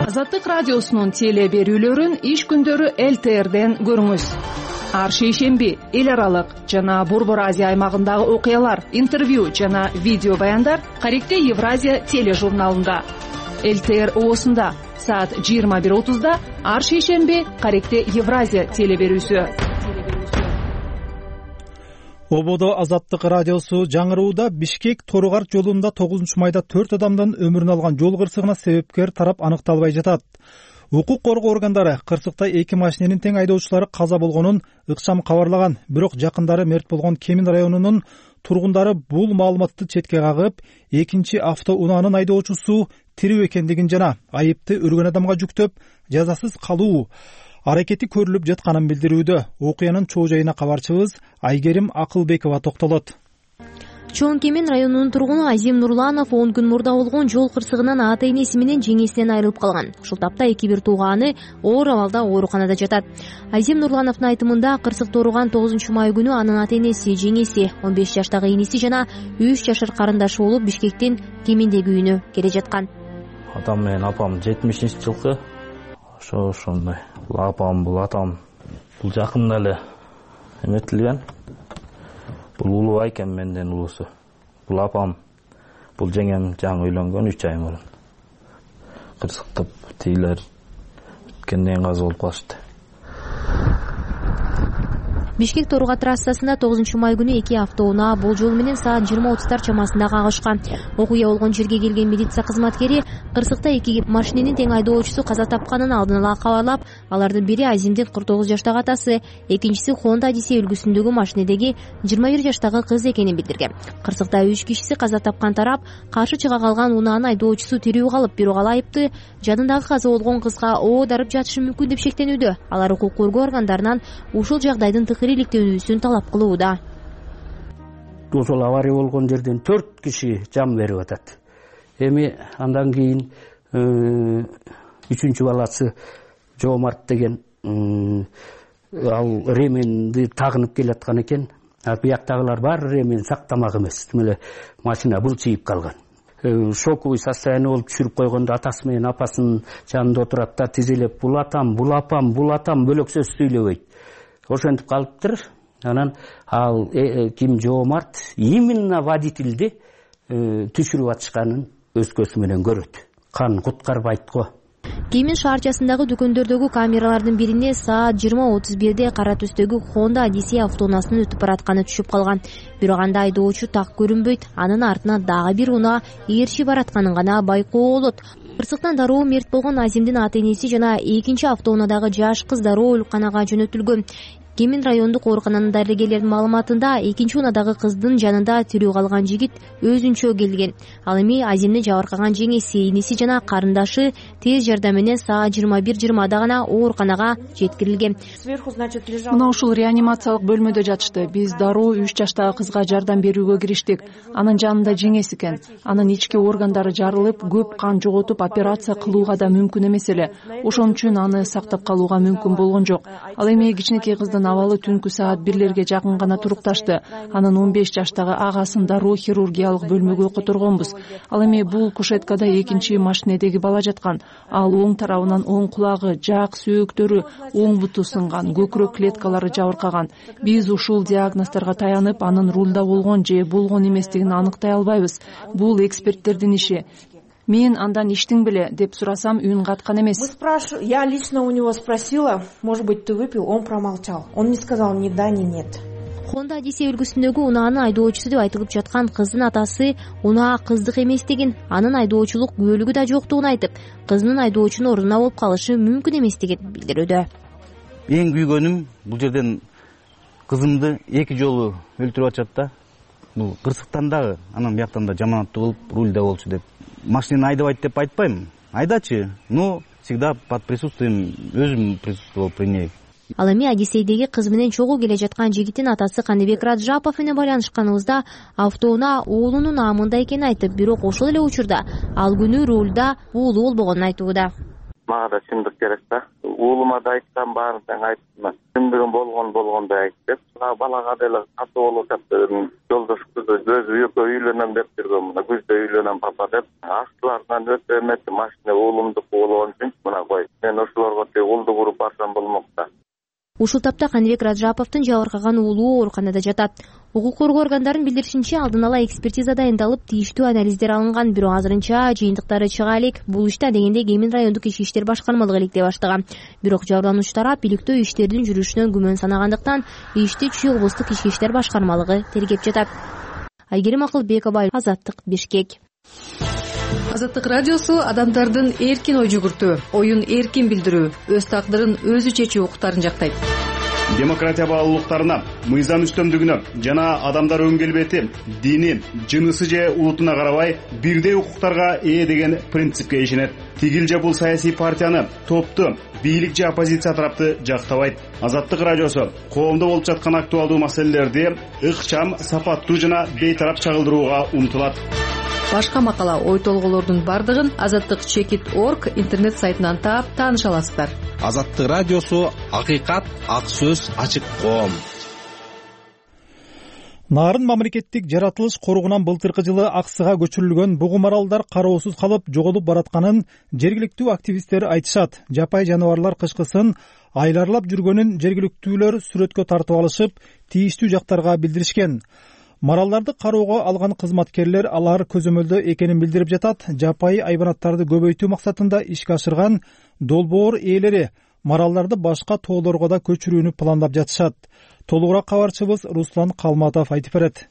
[SPEAKER 19] Азаттык радиосунун теле берүүлөрүн иш күндөрү ЛТРден көрүңүз. Ар шейшемби эл аралык жана Борбор Азия аймагындагы окуялар, интервью жана видео баяндар Каректе Евразия тележурналында. ЛТР оосунда саат 21:30 ар шейшемби Каректе Евразия теле берүүсү.
[SPEAKER 1] Ободо Азаттык радиосу жаңырууда Бишкек Торугар жолунда 9 майда 4 адамдын өмүрүн алган жол кырсыгына себепкер тарап аныкталбай жатат. Укук коргоо органдары кырсыкта 2 машиненин тең айдоочулары каза болгонун ыкчам кабарлаган, бирок жакындары мерт болгон Кемин районунун тургундары бул маалыматты четке кагып, экинчи автоунаанын айдоочусу тирүү экендигин жана айыпты өлгөн адамга жүктөп, жазасыз калуу аракети көрүлүп жатканын билдирүүдө. Окуянын чоо жайына кабарчыбыз Айгерим Акылбекова токтолот.
[SPEAKER 20] Чоң Кемен районунун тургуну Азим Нурланов 10 күн мурда болгон жол кырсыгынан ата-энеси менен жеңесинен айрылып калган. Ушул тапта 2-1 тууганы оор абалда ооруканада жатат. Азим Нурлановдун айтымында кырсыкты ооруган 9 май күнү анын ата-энеси, жеңеси, 15 жаштагы иниси жана 3 жашар карындашы болуп Бишкектин Кемендеги үйүнө келе жаткан.
[SPEAKER 14] Атам менен апам 70-жылкы ошондой. Бул апам, бул атам, бул жакында эле эметилген. Бул улуу экен, менден улуусу. Бул апам, бул жеңем жаңы үйлөнгөн 3 ай мурун. Кырсыктып тийлер өткөндөн каза болуп калышты.
[SPEAKER 20] Бишкек Торга трассасында 9 май күнү 2 автоунаа болжол менен саат 20:30 чамасында кагышкан. Окуя болгон жерге келген милиция кызматкери кырсыкта 2 машиненин тең айдоочусу каза тапканын алдын ала кабарлап, алардын бири Азимдин 49 жаштагы атасы, экинчиси Honda Odyssey үлгүсүндөгү машинедеги 21 жаштагы кыз экенин билдирген. Кырсыкта 3 кишиси каза тапкан тарап каршы чыга калган унаанын айдоочусу тирүү калып, бирок ал айыпты жадындагы каза болгон кызга оодарып жатышы мүмкүн деп шектенүүдө. Алар укук коргоо органдарынан ушул жагдайдын иликтөөнүүсүн талап кылууда.
[SPEAKER 21] Ошол авария болгон жерден 4 киши жан берип атат. Эми андан кийин 3-чү баласы Жоомарт деген ал ременди тагынып келаткан экен. Бияктагылар баары ремен сактамак эмес. Демеле машина былчыйып калган. Шоковый состояние болуп түшүрүп койгондо атасы менен апасынын жанында отурат да тизелеп бул атам бөлөк сөз сүйлөбөйт. Ошентип калыптыр. Анан ал ким Жоомарт именно водительди түшүрүп атышканын өз көзү менен көрөт. Кан куткарбайт го.
[SPEAKER 20] Кемен шаарчасындагы дүкөндөрдөгү камералардын бирине саат 20:31 кара түстөгү Honda Odyssey автоунаасынын өтүп баратканы түшүп калган. Бирок анда айдоочу так көрүнбөйт. Анын артынан дагы бир унаа ээрчи баратканын гана байкоо болот. Кырсыктан дароо мерт болгон Азимдин ата-энеси жана экинчи автоунаадагы жаш кыз дароо ооруканага жөнөтүлгөн. Кемен райондук оорукананын дарыгерлеринин маалыматында экинчи унаадагы кыздын жанында тирүү калган жигит өзүнчө келген. Ал эми Азимди жабыркаган жеңеси, иниси жана карындашы тез жардам менен саат 21:20 гана ооруканага жеткирилген.
[SPEAKER 19] Мына ушул реанимациялык бөлмөдө жатышты. Биз дароо 3 жаштагы кызга жардам берүүгө кириштик. Анын жанында жеңеси экен. Анын ички органдары жарылып, көп кан жоготуп операция кылууга да мүмкүн эмес эле. Ошон үчүн аны сактап калууга мүмкүн болгон жок. Ал эми кичинекей кыздын абалы түнкү саат 1-лерге жакын гана турукташты. Анын 15 жаштагы агасын дароо хирургиялык бөлмөгө которгонбуз. Ал эми бул кушеткада экинчи машинедеги бала жаткан. Ал оң тарабынан оң кулагы, жаак сөөктөрү, оң буту сынган, көкүрөк клеткалары жабыркаган. Биз ушул диагноздорго таянып, анын рулда болгон же болгон эместигин аныктай албайбыз. Бул эксперттердин иши. Мен андан иштиң беле деп сурасам, үн каткан эмес.
[SPEAKER 22] Я лично у него спросила, может быть, ты выпил, он промолчал. Он не сказал ни да, ни нет.
[SPEAKER 20] Honda Odyssey үлгүсүндөгү унаанын айдоочусу деп айтылып жаткан кыздын атасы унаа кыздык эместигин, анын айдоочулук күбөлүгү да жоктугун айтып, кызынын айдоочунун ордуна болуп калышы мүмкүн эместигин билдирүүдө.
[SPEAKER 23] Эң күйгөнүм бул жерден кызымды 2 жолу өлтүрүп атышат да. Бул кырсыктан дагы, анан бияктан да жаманаттуу болуп, рульда болчу деп. Машинаны айдабайт деп айтпайм. Айдачы, но всегда под присутствием, өзүм присутствовал при ней.
[SPEAKER 20] Ал эми Одиссейдеги кыз менен чогуу келе жаткан жигиттин атасы Кандыбек Раджапов менен байланышканыбызда автоунаа уулунун наамында экенин айтып, бирок ошол эле учурда ал күнү рулда уулу болбогонун айтууда.
[SPEAKER 2] Мага да чындык керек да. Уулума да айтсам, баарын тең айтсам, чындыгын болгондой айтып деп. Балага деле каты болуп жатты. Жолдош кызы өзү үйлөнөм деп жүргөн, мына күздө үйлөнөм папа деп. Астыларынан өтө эмес машина уулумдук болгон үчүн мына кой. Мен ошолорго улду куруп барсам болмок да.
[SPEAKER 20] Ушул тапта Кандыбек Раджаповдун жабыркаган уулу ооруканада жатат. Укук коргоо органдарынын билдиришинче, алдын ала экспертиза дайындалып, тийиштүү анализдер алынган, бирок азырынча жыйынтыктары чыга элек. Бул иште дегенде Кемен райондук ички иштер башкармалыгы иликтей баштаган. Бирок жабырлануучу тарап иликтөө иштердин жүрүшүнөн күмөн санагандыктан ишти Чүй облустук ички иштер башкармалыгы тергеп жатат. Айгерим Акылбекова, Азаттык, Бишкек.
[SPEAKER 19] Азаттык радиосу адамдардын эркин ой жүгүртүү, оюн эркин билдирүү, өз тагдырын өзү чечүү укуктарын жактайт.
[SPEAKER 4] демократия баалуулуктарына, мыйзам үстөмдүгүнө жана адамдар өн келбети, дини, жынысы же улутуна карабай бирдей укуктарга ээ деген принципке ишенет. Тигил же бул саясий партияны, топту, бийлик же оппозиция тарапты жактабайт. Азаттык радиосу коомдо болуп жаткан актуалдуу маселелерди ыкчам, сапаттуу жана бейтарап чагылдырууга умтулат.
[SPEAKER 5] Башка макала, ой толгоолордун бардыгын azattik.org интернет сайтынан таап тааныша аласыздар.
[SPEAKER 6] Азаттык радиосу акыйкат, ак сөз, ачык коом.
[SPEAKER 1] Нарын мамлекеттик жаратылыш коргунан былтыркы жылы Аксыга көчүрүлгөн бугум аралдар кароосуз калып жоголуп баратканын жергиликтүү активисттер айтышат. Жапай жаныбарлар кышкысын айларлап жүргөнүн жергиликтүүлөр сүрөткө тартып алышып, тийиштүү жактарга билдиришкен. Маралдарды кароого алган кызматкерлер алар көзөмөлдө экенин билдирип жатат. Жапайы айбанаттарды көбөйтүү максатында ишке ашырган долбоор ээлери маралдарды башка тоолорго да көчүрүүнү пландап жатышат. Толугураак кабарчыбыз Руслан Калматов айтып берет.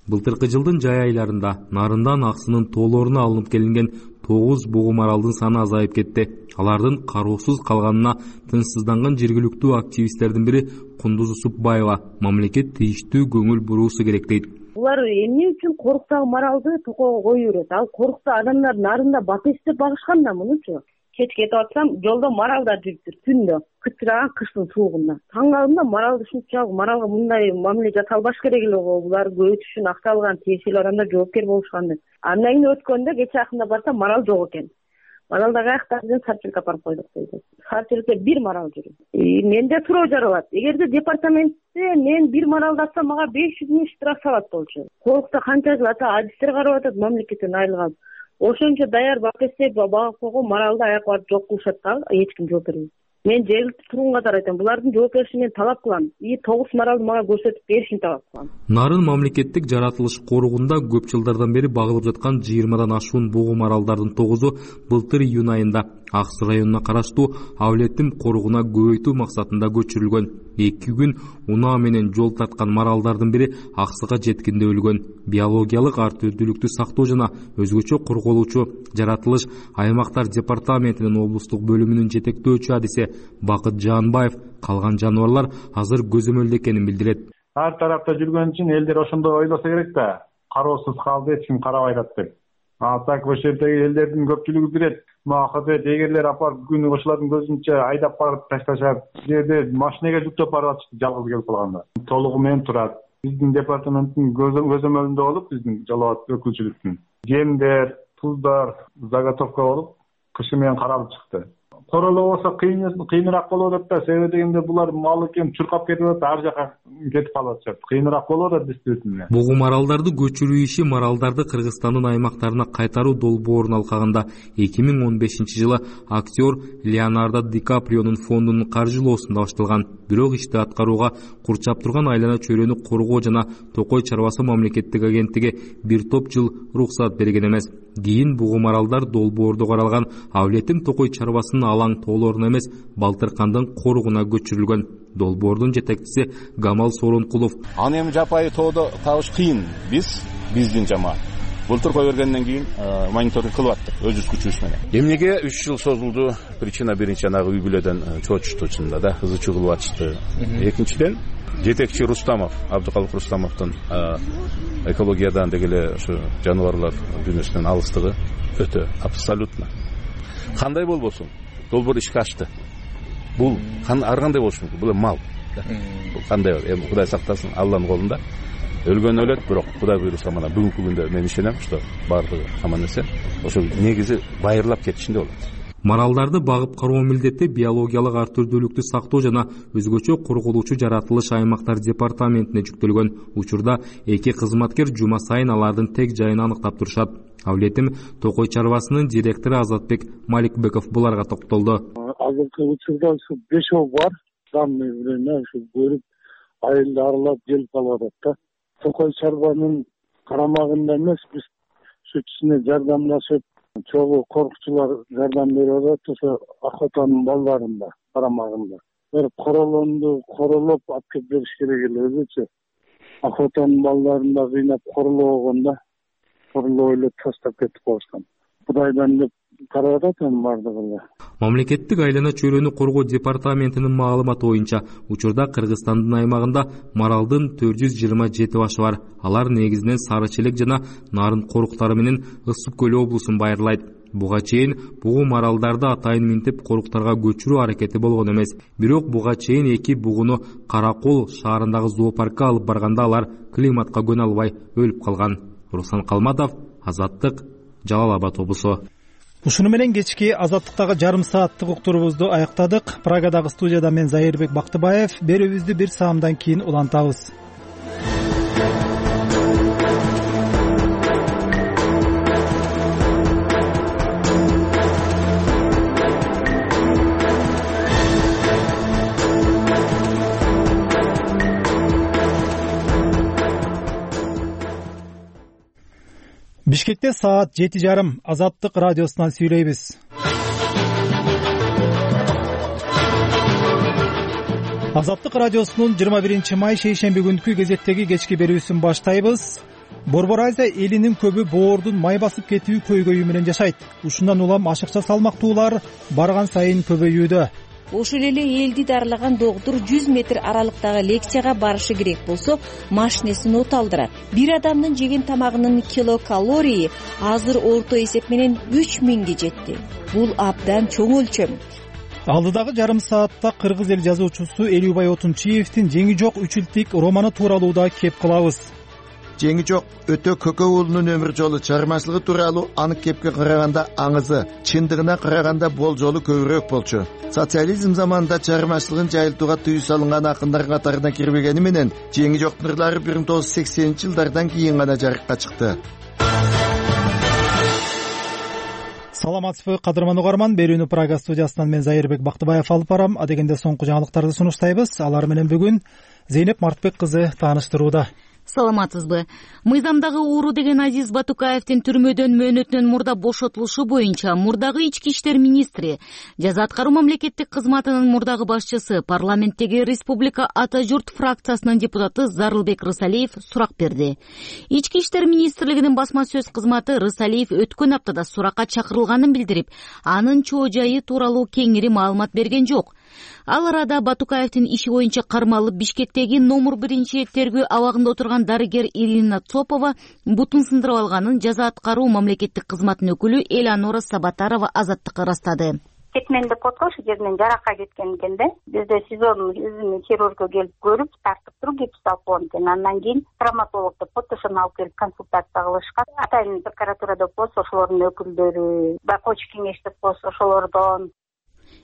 [SPEAKER 24] Былтыркы жылдын жай айларында Нарындан Аксынын тоолоруна алынып келинген 9 бугум аралдын саны азайып кетти. Алардын кароосуз калганына тынчсызданган жергиликтүү активисттердин бири Кундуз Усупбаева мамлекет тийиштүү көңүл буруусу керек дейт.
[SPEAKER 25] Булар эмне үчүн коруктагы маралды токого коюп берет? Ал корукта адамдар нарында бат иштеп багышкан да мунучу. Кеч кетип атсам, жолдо маралдар жүрүптүр түндө, кычыраган кыштын суугунда. Таң калдым да маралды ушунчалык маралга мындай мамиле жасалбаш керек эле го. Булар көбөйтүш үчүн акча алган тиешелүү адамдар жоопкер болушкан деп. Андан кийин өткөндө кече акында барсам марал жок экен. Маралда каякта ден сарчылыкка апарып койдук дейт. Сарчылыкта бир марал жүрөт. Менде суроо жаралат. Эгерде департаментте мен бир маралды атсам, мага 500 миң штраф салат болчу. Корукта канча жыл ата адистер карап атат, мамлекеттен айрылган. Ошончо даяр бак эстеп багып койгон маралды аяк барып жок кылышат да, эч ким жооп бербейт. Мен жергиликтүү тургун катары айтам, булардын жооп беришин мен талап кылам. 9 маралды мага көрсөтүп беришин талап кылам.
[SPEAKER 24] Нарын мамлекеттик жаратылыш коргунда көп жылдардан бери багылып жаткан 20дан ашуун бугум аралдардын 9-у былтыр июнь айында Аксы районуна караштуу Авлеттим коргуна көбөйтүү максатында көчүрүлгөн. 2 күн унаа менен жол тарткан маралдардын бири Аксыга жеткенде өлгөн. Биологиялык ар түрдүүлүктү сактоо жана өзгөчө корголуучу жаратылыш аймактар департаментинин облустук бөлүмүнүн жетектөөчү адиси Бакыт Жаанбаев калган жаныбарлар азыр көзөмөлдө экенин билдирет.
[SPEAKER 26] Ар тарапта жүргөн үчүн элдер ошондой ойлосо керек да. Кароосуз калды, эч ким карабай атат деп. Так ошол жердеги элдердин көпчүлүгү билет. Махабет эгерлер апарып күнү ошолордун көзүнчө айдап барып ташташат. Жерде машинеге жүктөп барып атышты жалгыз келип калганда. Толугу менен турат. Биздин департаменттин көзөмөлүндө болуп, биздин жалаат өкүлчүлүктүн жемдер, туздар заготовка болуп, кышы менен каралып чыкты. Королоо болсо кыйыныраак болот деп да, себеби дегенде булар мал экен чуркап кетип атат, ар жака кетип калып атышат. Кыйыныраак болот да действительно.
[SPEAKER 24] Бугум маралдарды көчүрүү иши маралдарды Кыргызстандын аймактарына кайтаруу долбоорунун алкагында 2015-жылы актер Леонардо Ди Каприонун фондунун каржылоосунда башталган. Бирок ишти аткарууга курчап турган айлана чөйрөнү коргоо жана Токой чарбасы мамлекеттик агенттиги бир топ жыл уруксат берген эмес. Кийин бугум аралдар долбоордо каралган Авлеттим Токой чарбасынын алаң тоолоруна эмес, Балтыркандын коргуна көчүрүлгөн. Долбоордун жетекчиси Гамал Соронкулов.
[SPEAKER 27] Аны эми жапайы тоодо табыш кыйын. Биздин жамаат былтыр кое бергенден кийин мониторинг кылып аттык өзүбүз күчүбүз менен. Эмнеге 3 жыл созулду? Причина биринчи анагы үй бүлөдөн чоочушту чынында да, ызы чуу кылып атышты. Экинчиден жетекчи Рустамов, Абдыкалык Рустамовдун экологиядан дегеле ушу жаныбарлар дүйнөсүнөн алыстыгы өтө абсолютно. Кандай болбосун? Долбоор ишке ашты. Бул ар кандай болушу мүмкүн? Бул мал. Бул кандай? Эми Кудай сактасын, Алланын колунда. Өлгөн өлөт, бирок Кудай буйруса мына бүгүнкү күндө мен ишенем, что бардыгы аман эсен. Ошо негизи байырлап кетишинде болот.
[SPEAKER 24] Маралдарды багып кароо милдети биологиялык ар түрдүүлүктү сактоо жана өзгөчө корголуучу жаратылыш аймактар департаментине жүктөлгөн. Учурда 2 кызматкер жума сайын алардын тег жайын аныктап турушат. Авлеттим Токой чарбасынын директору Азатбек Маликбеков буларга токтолду.
[SPEAKER 28] Азыркы учурда ушу 5 бар, данный время ушу көрүп айылды аралап келип калып атат да. Токой чарбанын карамагында эмес, биз сүтүнө жардамдашып, чогуу корукчулар жардам берип атат, ошо охотанын балдарында карамагында. Бир королоп алып келип бериш керек эле өзүчө. Охотанын балдарында кыйнап королоо болгондо, королоо эле таштап кетип калышкан. Кудайдан деп карап атам бардыгы эле.
[SPEAKER 24] Мамлекеттик айлана чөйрөнү коргоо департаментинин маалыматы боюнча учурда Кыргызстандын аймагында маралдын 427 башы бар. Алар негизинен Сары Челек жана Нарын коруктары менен Ысык көл облусун байырлайт. Буга чейин бугу маралдарды атайын минтип коруктарга көчүрүү аракети болгон эмес. Бирок буга чейин эки бугуну Каракол шаарындагы зоопаркка алып барганда алар климатка көнө албай өлүп калган. Руслан Калматов, Азаттык, Жалал Абад облусу.
[SPEAKER 1] Ушуну менен кечки Азаттыктагы жарым сааттык уктурубузду аяктадык. Прагадагы студияда мен Зайырбек Бактыбаев. Берүүбүздү бир саамдан кийин улантабыз. Бишкекте саат 7:30. Азаттык радиосунан сүйлөйбүз. Азаттык радиосунун 21 май шейшемби күнкү кезектеги кечки берүүсүн баштайбыз. Борбор Азия элинин көбү боордун май басып кетүү көйгөйү менен жашайт. Ушундан улам ашыкча салмактуулар барган сайын көбөйүүдө.
[SPEAKER 3] Ошол эле элди дарылаган доктур 100 метр аралыктагы лекцияга барышы керек болсо, машинесин от алдырат. Бир адамдын жеген тамагынын килокалории азыр орто эсеп менен 3000ге жетти. Бул абдан чоң өлчөм.
[SPEAKER 1] Алдыдагы жарым саатта кыргыз эл жазуучусу Элүүбай Отунчиевдин Жеңи жок үчүлтик романы тууралуу да кеп кылабыз.
[SPEAKER 7] Жеңи жок өтө көкө уулунун өмүр жолу чыгармачылыгы тууралуу анык кепке караганда аңызы, чындыгына караганда болжолу көбүрөөк болчу. Социализм заманында чыгармачылыгын жайылтууга тыюу салынган акындар катарына кирбегени менен Жеңи жоктун ырлары 1980-жылдардан кийин гана жарыкка чыкты.
[SPEAKER 1] Саламатсызбы, кадырман угарман. Берүүнү Прага студиясынан мен Зайырбек Бактыбаев алып барам. Адегенде соңку жаңылыктарды сунуштайбыз. Алар менен бүгүн Зейнеп Мартбек кызы тааныштырууда.
[SPEAKER 8] Саламатсызбы. Мыйзамдагы ууру деген Азиз Батукаевдин түрмөдөн мөөнөтүнөн мурда бошотулушу боюнча мурдагы ички иштер министри, жаза аткаруу мамлекеттик кызматынын мурдагы башчысы, парламенттеги Республика Ата журт фракциясынын депутаты Зарылбек Рысалиев сурак берди. Ички иштер министрлигинин басма сөз кызматы Рысалиев өткөн аптада суракка чакырылганын билдирип, анын чоо жайы тууралуу кеңири маалымат берген жок. Ал арада Батукаевдин иши боюнча кармалып Бишкектеги номер 1 тергөө абагында отурган дарыгер Ирина Цопова бутун сындырып алганын жаза аткаруу мамлекеттик кызматтын өкүлү Элеонора Сабатарова Азаттыкка ырастады.
[SPEAKER 9] Кетмен деп коткон ошол жеринен жаракка кеткен экен да. Бизде СИЗОнун өзүнүн хирургу келип көрүп, тартып туруп гипс алып койгон экен. Андан кийин травматолог деп фотошун алып келип консультация кылышкан. Атайын прокуратура деп болсо ошолордун өкүлдөрү, байкоочу кеңеш деп болсо ошолордон,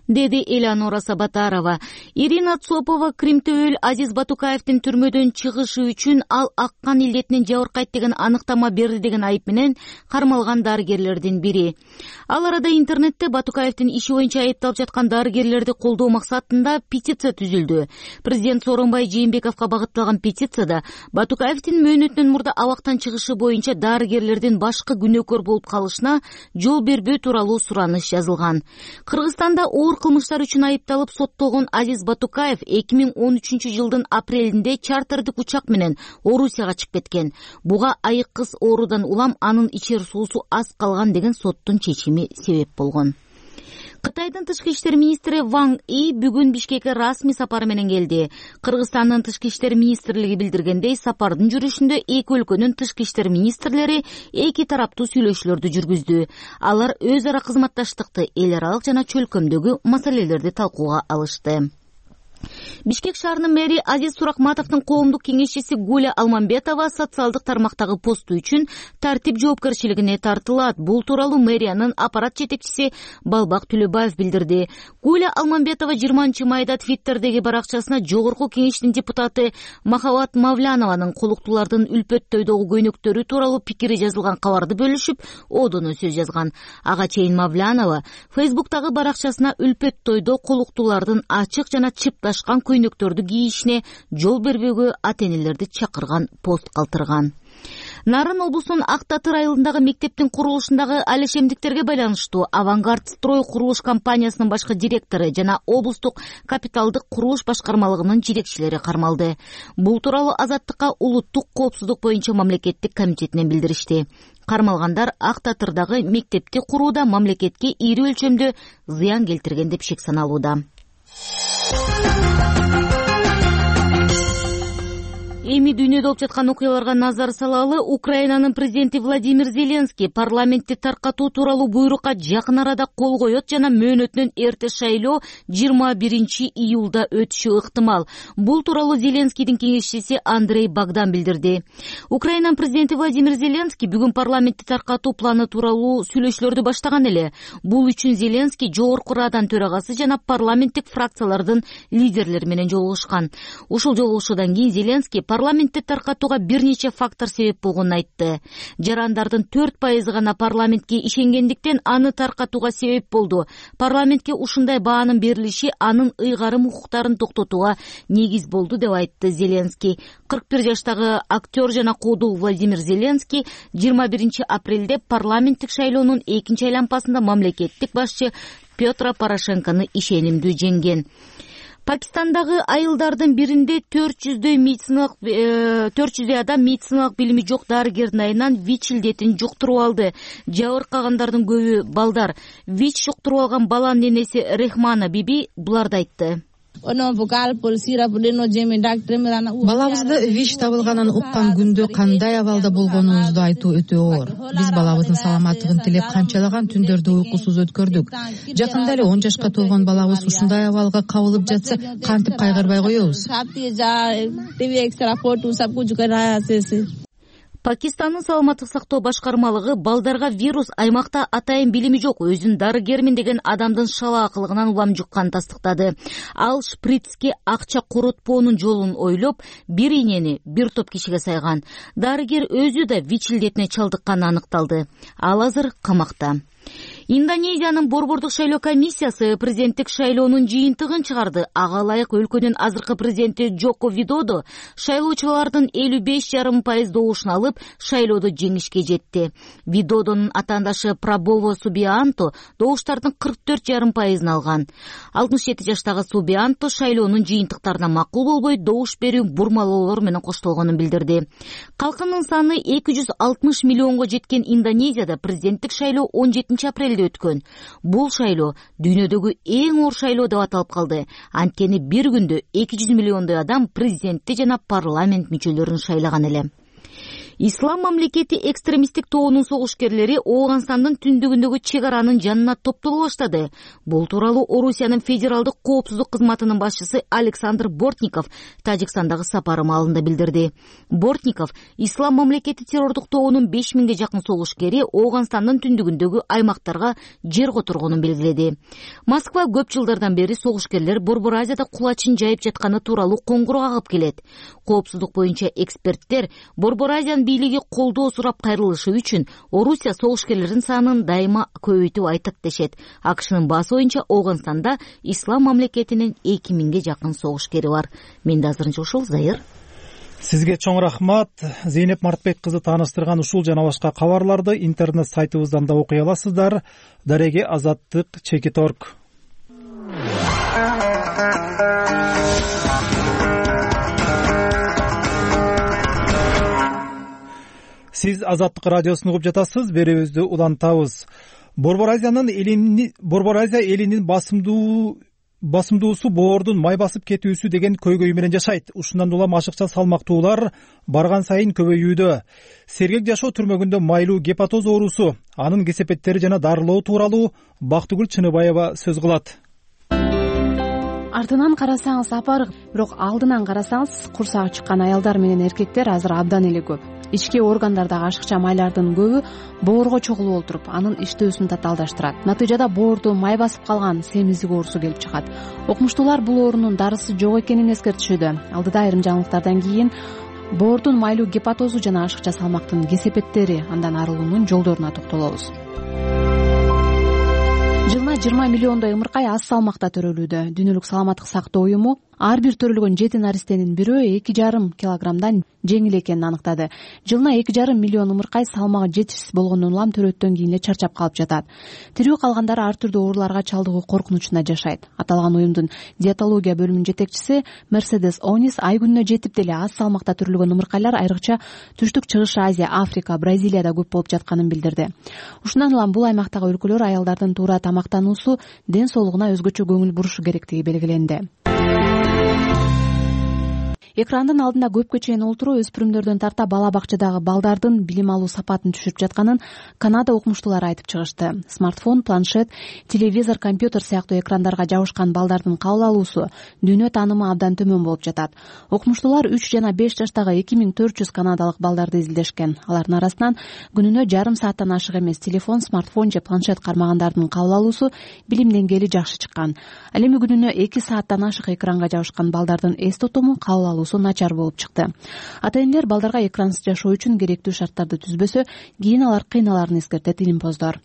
[SPEAKER 8] деди Элеонора Сабатарова. Ирина Цопова Кримтөөл Азиз Батукаевдин түрмөдөн чыгышы үчүн ал аккан илдетинен жабыркайт деген аныктама берди деген айып менен кармалган дарыгерлердин бири. Ал арада интернетте Батукаевдин иши боюнча айыпталып жаткан дарыгерлерди колдоо максатында петиция түзүлдү. Президент Сооронбай Жээнбековго багытталган петицияда Батукаевдин мөөнөтүнөн мурда абактан чыгышы боюнча дарыгерлердин башкы күнөөкөр болуп калышына жол бербөө тууралуу сураныш жазылган. Кыргызстанда оор кылмыштар үчүн айыпталып соттолгон Азиз Батукаев 2013-жылдын апрелинде чартердик учак менен Орусияга чыгып кеткен. Буга айык кыз оорудан улам анын ичер суусу аз калган деген соттун чечими себеп болгон. Кытайдын тышкы иштер министри Ван И бүгүн Бишкекке расмий сапары менен келди. Кыргызстандын тышкы иштер министрлиги билдиргендей, сапардын жүрүшүндө эки өлкөнүн тышкы иштер министрлери эки тараптуу сүйлөшүүлөрдү жүргүздү. Алар өз ара кызматташтыкты, эл аралык жана чөлкөмдөгү маселелерди талкууга алышты. Бишкек шаарынын мэри Азиз Суракматовдун коомдук кеңешчиси Гуля Алмамбетова социалдык тармактагы посту үчүн тартип жоопкерчилигине тартылат. Бул тууралуу мэриянын аппарат жетекчиси Балбак Түлөбаев билдирди. Гуля Алмамбетова 20 майда Твиттердеги баракчасына жогорку кеңештин депутаты Махабат Мавлянованын колуктуулардын үлпөттөйдөгү көйнөктөрү тууралуу пикири жазылган кабарды бөлүшүп, одоно сөз жазган. Ага чейин Мавлянова Фейсбуктагы баракчасына үлпөттөйдө колуктуулардын ачык жана чыпташкан көйнөктөрдү кийишине жол бербөөгө ата-энелерди чакырган пост калтырган. Нарын облусунун Ак Татыр айылындагы мектептин курулушундагы алешемдиктерге байланыштуу Авангард строй курулуш компаниясынын башкы директору жана облустук капиталдык курулуш башкармалыгынын жетекчилери кармалды. Бул тууралуу Азаттыкка улуттук коопсуздук боюнча мамлекеттик комитетинен билдиришти. Кармалгандар Ак Татырдагы мектепти курууда мамлекетке ири өлчөмдө зыян келтирген деп шек саналууда. Эми дүйнөдө болуп жаткан окуяларга назар салалы. Украинанын президенти Владимир Зеленский парламентти таркатуу тууралуу буйрукка жакын арада кол коет жана мөөнөтүнөн эрте шайлоо 21 июлда өтүшү ыктымал. Бул тууралуу Зеленскийдин кеңешчиси Андрей Богдан билдирди. Украинанын президенти Владимир Зеленский бүгүн парламентти таркатуу планы тууралуу сүйлөшүүлөрдү баштаган эле. Бул үчүн Зеленский жогорку Радан төрагасы жана парламенттик фракциялардын лидерлери менен жолугушкан. Ушул жолугушуудан кийин Зеленский парламентти таркатууга бир нече фактор себеп болгонун айтты. Жарандардын 4% гана парламентке ишенгендиктен аны таркатууга себеп болду. Парламентке ушундай баанын берилиши анын ыйгарым укуктарын токтотууга негиз болду деп айтты Зеленский. 41 жаштагы актер жана куудул Владимир Зеленский 21 апрелде парламенттик шайлоонун экинчи айланпасында мамлекеттик башчы Петро Порошенкону ишенимдүү жеңген. Пакистандагы айылдардын биринде 400 адам медициналык билими жок дарыгердин айынан ВИЧ илдетин жуктуруп алды. Жабыркагандардын көбү балдар. ВИЧ жуктуруп алган баланын энеси Рехмана биби буларды айтты.
[SPEAKER 10] Балабызды ВИЧ табылганын уккан күндө кандай абалда болгонубузду айтуу өтө оор. Биз балабыздын саламаттыгын тилеп канчалаган түндөрдү уйкусуз өткөрдүк. Жакында эле 10 жашка толгон балабыз ушундай абалга кабылып жатса, кантип кайгырбай коебуз?
[SPEAKER 8] Пакистандын саламаттык сактоо башкармалыгы балдарга вирус аймакта атайын билими жок, өзүн дарыгермин деген адамдын шалаакылыгынан улам жукканын тастыктады. Ал шприцке акча коротпоонун жолун ойлоп, бир ийнени бир топ кишиге сайган. Дарыгер өзү да ВИЧ илдетине чалдыкканы аныкталды. Ал азыр камакта. Индонезиянын борбордук шайлоо комиссиясы президенттик шайлоонун жыйынтыгын чыгарды. Ага ылайык өлкөнүн азыркы президенти Джоко Видодо шайлоочулардын 55,5% добушун алып, шайлоодо жеңишке жетти. Видодонун атаандашы Прабово Субианто добуштардын 44,5% алган. 67 жаштагы Субианто шайлоонун жыйынтыктарына макул болбой, добуш берүү бурмалоолор менен коштолгонун билдирди. Калкынын саны 260 миллионго жеткен Индонезияда президенттик шайлоо 17 апрелде өткөн. Бул шайлоо дүйнөдөгү эң оор шайлоо деп аталып калды. Анткени бир күндө 200 миллиондой адам президентти жана парламент мүчөлөрүн шайлаган эле. Ислам мамлекети экстремисттик тобунун согушкерлери Ооганстандын түндүгүндөгү чек аранын жанына топтоло баштады. Бул тууралуу Орусиянын федералдык коопсуздук кызматынын башчысы Александр Бортников Тажикстандагы сапары маалында билдирди. Бортников Ислам мамлекети террордук тобунун 5000ге жакын согушкери Ооганстандын түндүгүндөгү аймактарга жер которгонун белгиледи. Москва көп жылдардан бери согушкерлер Борбор Азияда кулачын жайып жатканы тууралуу коңгуроо агып келет. Коопсуздук боюнча эксперттер Борбор Азиянын бийлиги колдоо сурап кайрылышы үчүн Орусия согушкерлердин санын дайыма көбөйтүп айтат дешет. АКШнын баасы боюнча Ооганстанда Ислам мамлекетинин 2000ге жакын согушкери бар. Менде азырынча ушул. Зайыр.
[SPEAKER 1] Сизге чоң рахмат. Зейнеп Мартбек кызы тааныштырган ушул жана башка кабарларды интернет сайтыбыздан да окуй аласыздар. Дареге Азаттык.org. Сиз Азаттык радиосун угуп жатасыз. Берүүбүздү улантабыз. Борбор Азия элинин басымдуусу боордун май басып кетүүсү деген көйгөй менен жашайт. Ушундан улам ашыкча салмактуулар барган сайын көбөйүүдө. Сергек жашоо түрмөгүндө майлуу гепатоз оорусу, анын кесепеттери жана дарылоо тууралуу Бактыгүл Чыныбаева сөз кылат.
[SPEAKER 22] Артынан карасаңыз апарык, бирок алдынан карасаңыз курсагы чыккан аялдар менен эркектер азыр абдан эле көп. Ички органдардагы ашыкча майлардын көбү боорго чогулуп олтуруп, анын иштөөсүн татаалдаштырат. Натыйжада боорду май басып калган семиздик оорусу келип чыгат. Окумуштуулар бул оорунун дарысы жок экенин эскертишүүдө. Алдыда айрым жаңылыктардан кийин боордун майлуу гепатозу жана ашыкча салмактын кесепеттери, андан арылуунун жолдоруна токтолобуз. Жылына 20 миллиондой ымыркай аз салмакта төрөлүүдө. Дүйнөлүк саламаттык сактоо уюму ар бир төрөлгөн 7 наристенин бирөө 2,5 килограммдан жеңил экенин аныктады. Жылына 2,5 миллион ымыркай салмагы жетишсиз болгондон улам төрөттөн кийин эле чарчап калып жатат. Тирүү калгандары ар түрдүү ооруларга чалдыгуу коркунучунда жашайт. Аталган уюмдун диетология бөлүмүнүн жетекчиси Мерседес Онис ай күнүнө жетип деле аз салмакта төрөлгөн ымыркайлар айрыкча Түштүк Чыгыш Азия, Африка, Бразилияда көп болуп жатканын билдирди. Ушундан улам бул аймактагы өлкөлөр аялдардын туура тамактануусу, ден соолугуна өзгөчө көңүл бурушу керектиги белгиленди. Экрандын алдында көпкө чейин олтуруу өспүрүмдөрдөн тарта бала бакчадагы балдардын билим алуу сапатын түшүрүп жатканын Канада окумуштуулары айтып чыгышты. Смартфон, планшет, телевизор, компьютер сыяктуу экрандарга жабышкан балдардын кабыл алуусу, дүйнө таанымы абдан төмөн болуп жатат. Окумуштуулар 3 жана 5 жаштагы 2400 канадалык балдарды изилдешкен. Алардын арасынан күнүнө жарым сааттан ашык эмес телефон, смартфон же планшет кармагандардын кабыл алуусу, билим деңгээли жакшы чыккан. Ал эми күнүнө 2 сааттан ашык экранга жабышкан балдардын эс тутуму, кабыл алуусу начар болуп чыкты. Ата-энелер балдарга экрансыз жашоо үчүн керектүү шарттарды түзбөсө, кийин алар кыйналарын эскертет илимпоздор.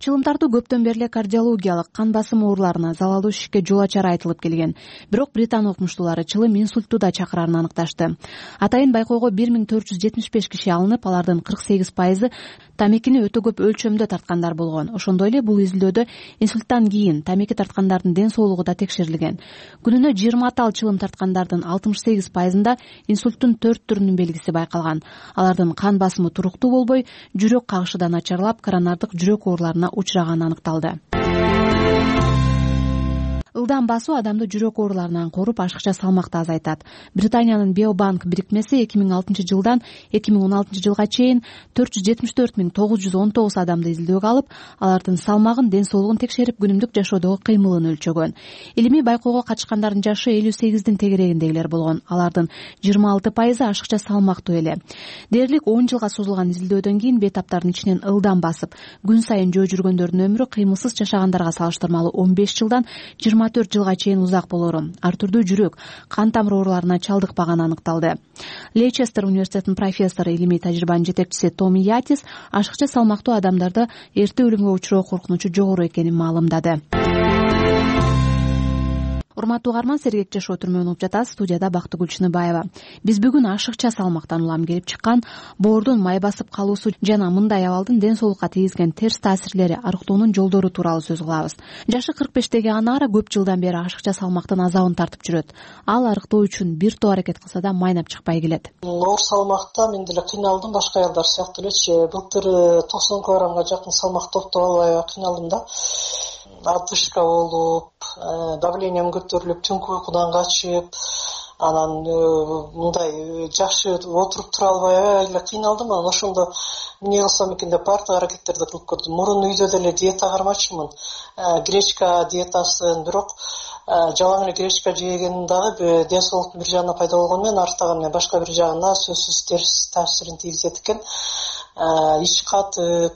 [SPEAKER 22] Чылымтартуу көптөн бери эле кардиологиялык, кан басымы ооруларына, залалдуу ишикке жол ачары айтылып келген. Бирок Британ окумуштуулары чылым инсультту да чакырарын аныкташты. Атайын байкоого 1475 киши алынып, алардын 48% тамекини өтө көп өлчөмдө тарткандар болгон. Ошондой эле бул изилдөөдө инсульттан кийин тамеки тарткандардын ден соолугу да текшерилген. Күнүнө 20 атал чылым тарткандардын 68%-ында инсульттун 4 түрүнүн белгиси байкалган. Алардын кан басымы туруктуу болбой, жүрөк кагышы да начарлап, коронардык жүрөк ооруларына учураганы аныкталды. Ылдам басуу адамды жүрөк ооруларынан коруп, ашыкча салмакты азайтат. Британиянын Биобанк бирикмеси 2006 жылдан 2016 жылга чейин 474,919 адамды изилдөөгө алып, алардын салмагын, ден соолугун текшерип, күнүмдүк жашоодогу кыймылын өлчөгөн. Илимий байкоого катышкандардын жашы 58-дин тегерегиндегилер болгон. Алардын 26% ашыкча салмактуу эле. Дээрлик 10 жылга созулган изилдөөдөн кийин бейтаптардын ичинен ылдам басып, күн сайын жөө жүргөндөрдүн өмүрү кыймылсыз жашагандарга салыштырмалуу 15 жылдан 24 жылга чейин узак болору, ар түрдүү жүрөк, кан тамыр ооруларына чалдыкпаганы аныкталды. Лейчестер университетинин профессору, илимий тажрыйбанын жетекчиси Томи Ятис ашыкча салмактуу адамдарда эрте өлүмгө учуроо коркунучу жогору экенин маалымдады. Урматтуу угарман, сергек жашоо түрмөгүн угуп жатасыз. Студияда Бактыгүл Чыныбаева. Биз бүгүн ашыкча салмактан улам келип чыккан боордун май басып калуусу жана мындай абалдын ден соолукка тийгизген терс таасирлери, арыктоонун жолдору тууралуу сөз кылабыз. Жашы 45теги Анара көп жылдан бери ашыкча салмактын азабын тартып жүрөт. Ал арыктоо үчүн бир топ аракет кылса да майнап чыкпай келет.
[SPEAKER 11] Оор салмакта мен деле кыйналдым, башка аялдар сыяктуу элечи. Былтыр 90 килограммга жакын салмак топтоп албай кыйналдым да. Отдышка болуп, давлением көтөрүлүп, түнкү уйкудан качып, анан мындай жакшы отуруп тура албай эле кыйналдым. Анан ошондо эмне кылсам экен деп баардык аракеттерди кылып көрдүм. Мурун үйдө деле диета кармачумун, гречка диетасын, бирок жалаң эле гречка жегенин дагы ден соолуктун бир жагына пайда болгону менен артаган башка бир жагына сөзсүз терс таасирин тийгизет экен. Ич катып,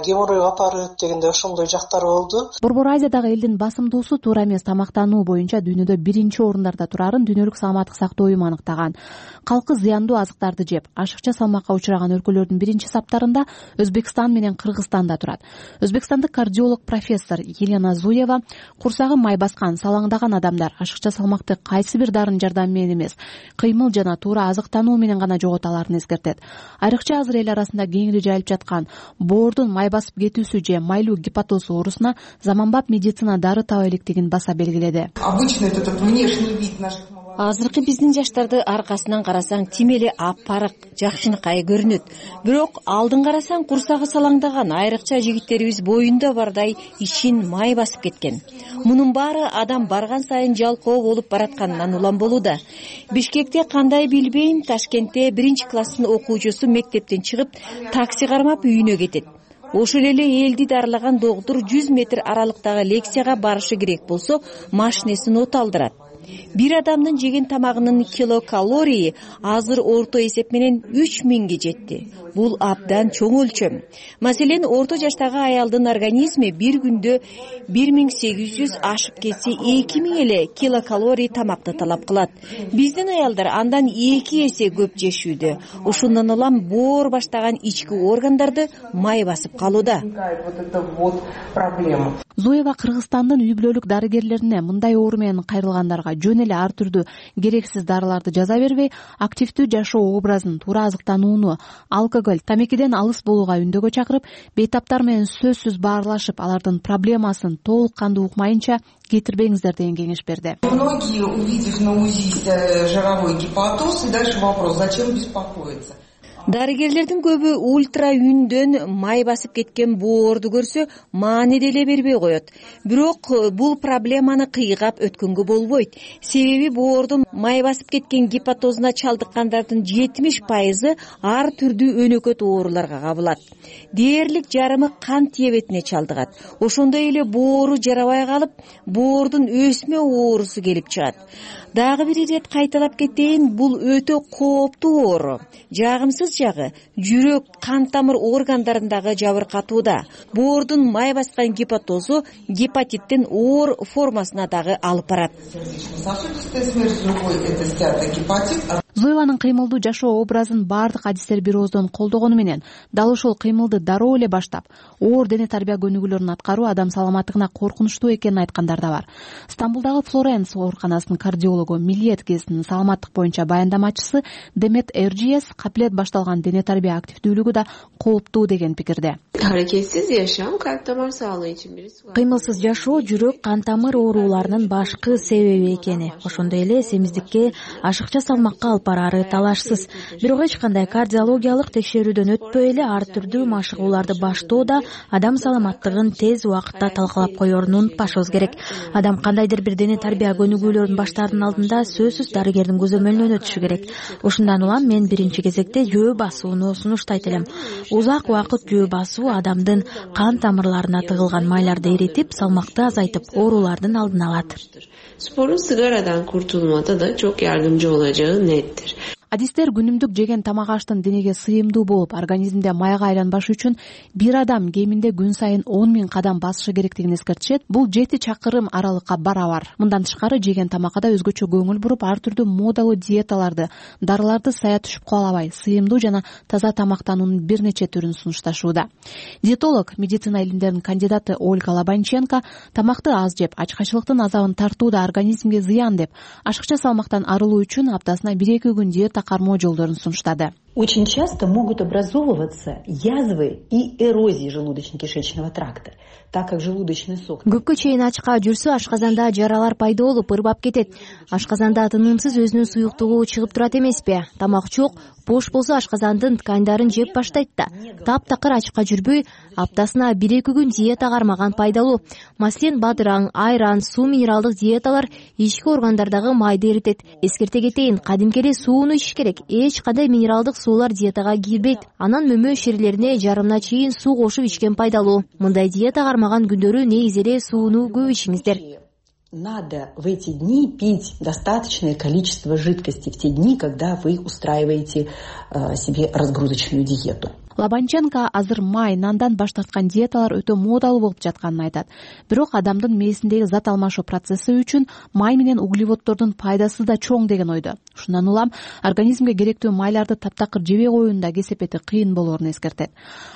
[SPEAKER 11] геморрой апарып дегенде ошондой жактары болду.
[SPEAKER 22] Борбор Азиядагы элдин басымдуусу туура эмес тамактануу боюнча дүйнөдө биринчи орундарда турарын Дүйнөлүк саламаттык сактоо уюму аныктаган. Калкы зыяндуу азыктарды жеп, ашыкча салмакка учураган өлкөлөрдүн биринчи саптарында Өзбекстан менен Кыргызстан да турат. Өзбекстандык кардиолог профессор Елена Зуева курсагы май баскан, салаңдаган адамдар ашыкча салмакты кайсы бир дарынын жардамы менен эмес, кыймыл жана туура азыктануу менен гана жогото аларын эскертет. Айрыкча азыр эл арасында кеңири жайылып жаткан боордун май басып кетүүсү же майлуу гепатоз оорусуна заманбап медицина дары таба электигин баса белгиледи.
[SPEAKER 12] Обычно этот внешний вид наших
[SPEAKER 3] Азыркы биздин жаштарды аркасынан карасаң тим эле аппарак, жакшынакай көрүнөт. Бирок алдын карасаң курсагы салаңдаган, айрыкча жигиттерибиз боюнда бардай ичин май басып кеткен. Мунун баары адам барган сайын жалкоо болуп баратканынан улам болууда. Бишкекте кандай билбейм, Ташкентте 1-класстын окуучусу мектептен чыгып, такси кармап үйүнө кетет. Ошол эле элди дарылаган доктур 100 метр аралыктагы лекцияга барышы керек болсо, машинесин от алдырат. Бир адамдын жеген тамагынын килокалории азыр орто эсеп менен 3000ге жетти. Бул абдан чоң өлчөм. Маселен, орто жаштагы аялдын организми бир күндө 1800 ашып кетсе 2000 эле килокалорий тамакты талап кылат. Биздин аялдар андан 2 эсе көп жешүүдө. Ушундан улам боор баштаган ички органдарды май басып калууда.
[SPEAKER 22] Зоева Кыргызстандын үй бүлөлүк дарыгерлерине мындай оору менен кайрылгандарга жөн эле ар түрдүү керексиз дарыларды жаза бербей, активдүү жашоо образын, туура азыктанууну, алкоголь, тамекиден алыс болууга үндөгө чакырып, бейтаптар менен сөзсүз баарлашып, алардын проблемасын толук кандуу укмайынча кетирбеңиздер деген кеңеш берди.
[SPEAKER 12] Многие, увидев на УЗИ жировой гепатоз, и дальше вопрос: зачем беспокоиться?
[SPEAKER 3] Дарыгерлердин көбү ультра үндөн май басып кеткен боорду көрсө маани деле бербей коет. Бирок бул проблеманы кыйгап өткөнгө болбойт. Себеби боордун май басып кеткен гепатозуна чалдыккандардын 70% ар түрдүү өнөкөт ооруларга кабылат. Дээрлик жарымы кант диабетине чалдыгат. Ошондой эле боору жарабай калып, боордун өсмө оорусу келип чыгат. Дагы бир ирет кайталап кетейин, бул өтө кооптуу оору. Жагымсыз жагы жүрөк, кан тамыр органдарындагы жабыркатууда. Боордун май баскан гепатозу гепатиттин оор формасына дагы алып барат.
[SPEAKER 22] Зоеванын кыймылдуу жашоо образын баардык адистер бир ооздон колдогону менен, дал ошол кыймылды дароо эле баштап, оор дене тарбия көнүгүүлөрүн аткаруу адам саламаттыгына коркунучтуу экенин айткандар да бар. Стамбулдагы Флоренс ооруканасынын кардиологу, Милиет гезитинин саламаттык боюнча баяндамачысы Демет Эрджиес капилет башталган дене тарбия активдүүлүгү да кооптуу деген пикирде.
[SPEAKER 13] Hareketsiz yaşam kalp damar sağlığı için birisi var.
[SPEAKER 20] Кыймылсыз жашоо жүрөк, кан тамыр ооруларынын башкы себеби экени. Ошондой эле семиздикке, ашыкча салмакка алып барары талашсыз. Бирок эч кандай кардиологиялык текшерүүдөн өтпөй эле ар түрдүү машыгууларды баштоодо адам саламаттыгын тез убакытта талкалап коерун унутпашыбыз керек. Адам кандайдыр бир дене тарбия көнүгүүлөрүн баштаардын алдында сөзсүз дарыгердин көзөмөлүнөн өтүшү керек. Ошондон улам мен биринчи кезекте жөө басууну сунуштайт элем. Узак убакыт жөө басуу адамдын кан тамырларына тыгылган майларды эритип, салмакты азайтып, оорулардын алдын алат.
[SPEAKER 13] Sporun sigaradan kurtulmada da çok yardımcı olacağı nettir.
[SPEAKER 22] Адистер күнүмдүк жеген тамак аштын денеге сыйымдуу болуп, организмде майга айланбаш үчүн бир адам кеминде күн сайын 10 000 кадам басышы керектигин эскертишет. Бул 7 чакырым аралыкка барабар. Мындан тышкары жеген тамакка өзгөчө көңүл буруп, ар түрдүү модалуу диеталарды, дарыларды сая түшүп калабай, сыйымдуу жана таза тамактануунун бир нече түрүн сунушташууда. Диетолог, медицина илимдеринин кандидаты Ольга Лобанченко тамакты аз жеп, ачкачылыктын азабын тартууда организмге зыян деп, ашыкча салмактан арылуу үчүн аптасына 1-2 күн диета кармоо жолдорун сунуштады.
[SPEAKER 14] Очень часто могут образовываться язвы и эрозии желудочно-кишечного тракта, так как желудочный сок.
[SPEAKER 20] Көпкө чейин ачка жүрсө, ашказанда жаралар пайда болуп, ырбап кетет. Ашказанда тынымсыз өзүнүн суюктугу чыгып турат эмеспи? Тамак жок, бош болсо ашказандын тканьдарын жеп баштайт да. Таптакыр ачка жүрбөй, аптасына 1-2 күн диета кармаган пайдалуу. Маселен, бадыраң, айран, суу минералдык диеталар ички органдардагы майды эритет. Эскерте кетейин, кадимки эле сууну ичиш керек. Эч кандай минералдык суулар диетага кирбейт. Анан мөмө ширилерине жарымына чейин суу кошуп ичкен пайдалуу. Мындай диета кармаган күндөрү негизи эле сууну көп ичиңиздер.
[SPEAKER 14] Надо в эти дни пить достаточное количество жидкости, в те дни, когда вы устраиваете себе разгрузочную диету.
[SPEAKER 22] Лобанченко азыр май, нандан баш тарткан диеталар өтө модалуу болуп жатканын айтат. Бирок адамдын мээсиндеги зат алмашуу процесси үчүн май менен углеводдордун пайдасы да чоң деген ойдо. Ушундан улам организмге керектүү майларды таптакыр жебей коюунун да кесепети кыйын болоорун эскертет.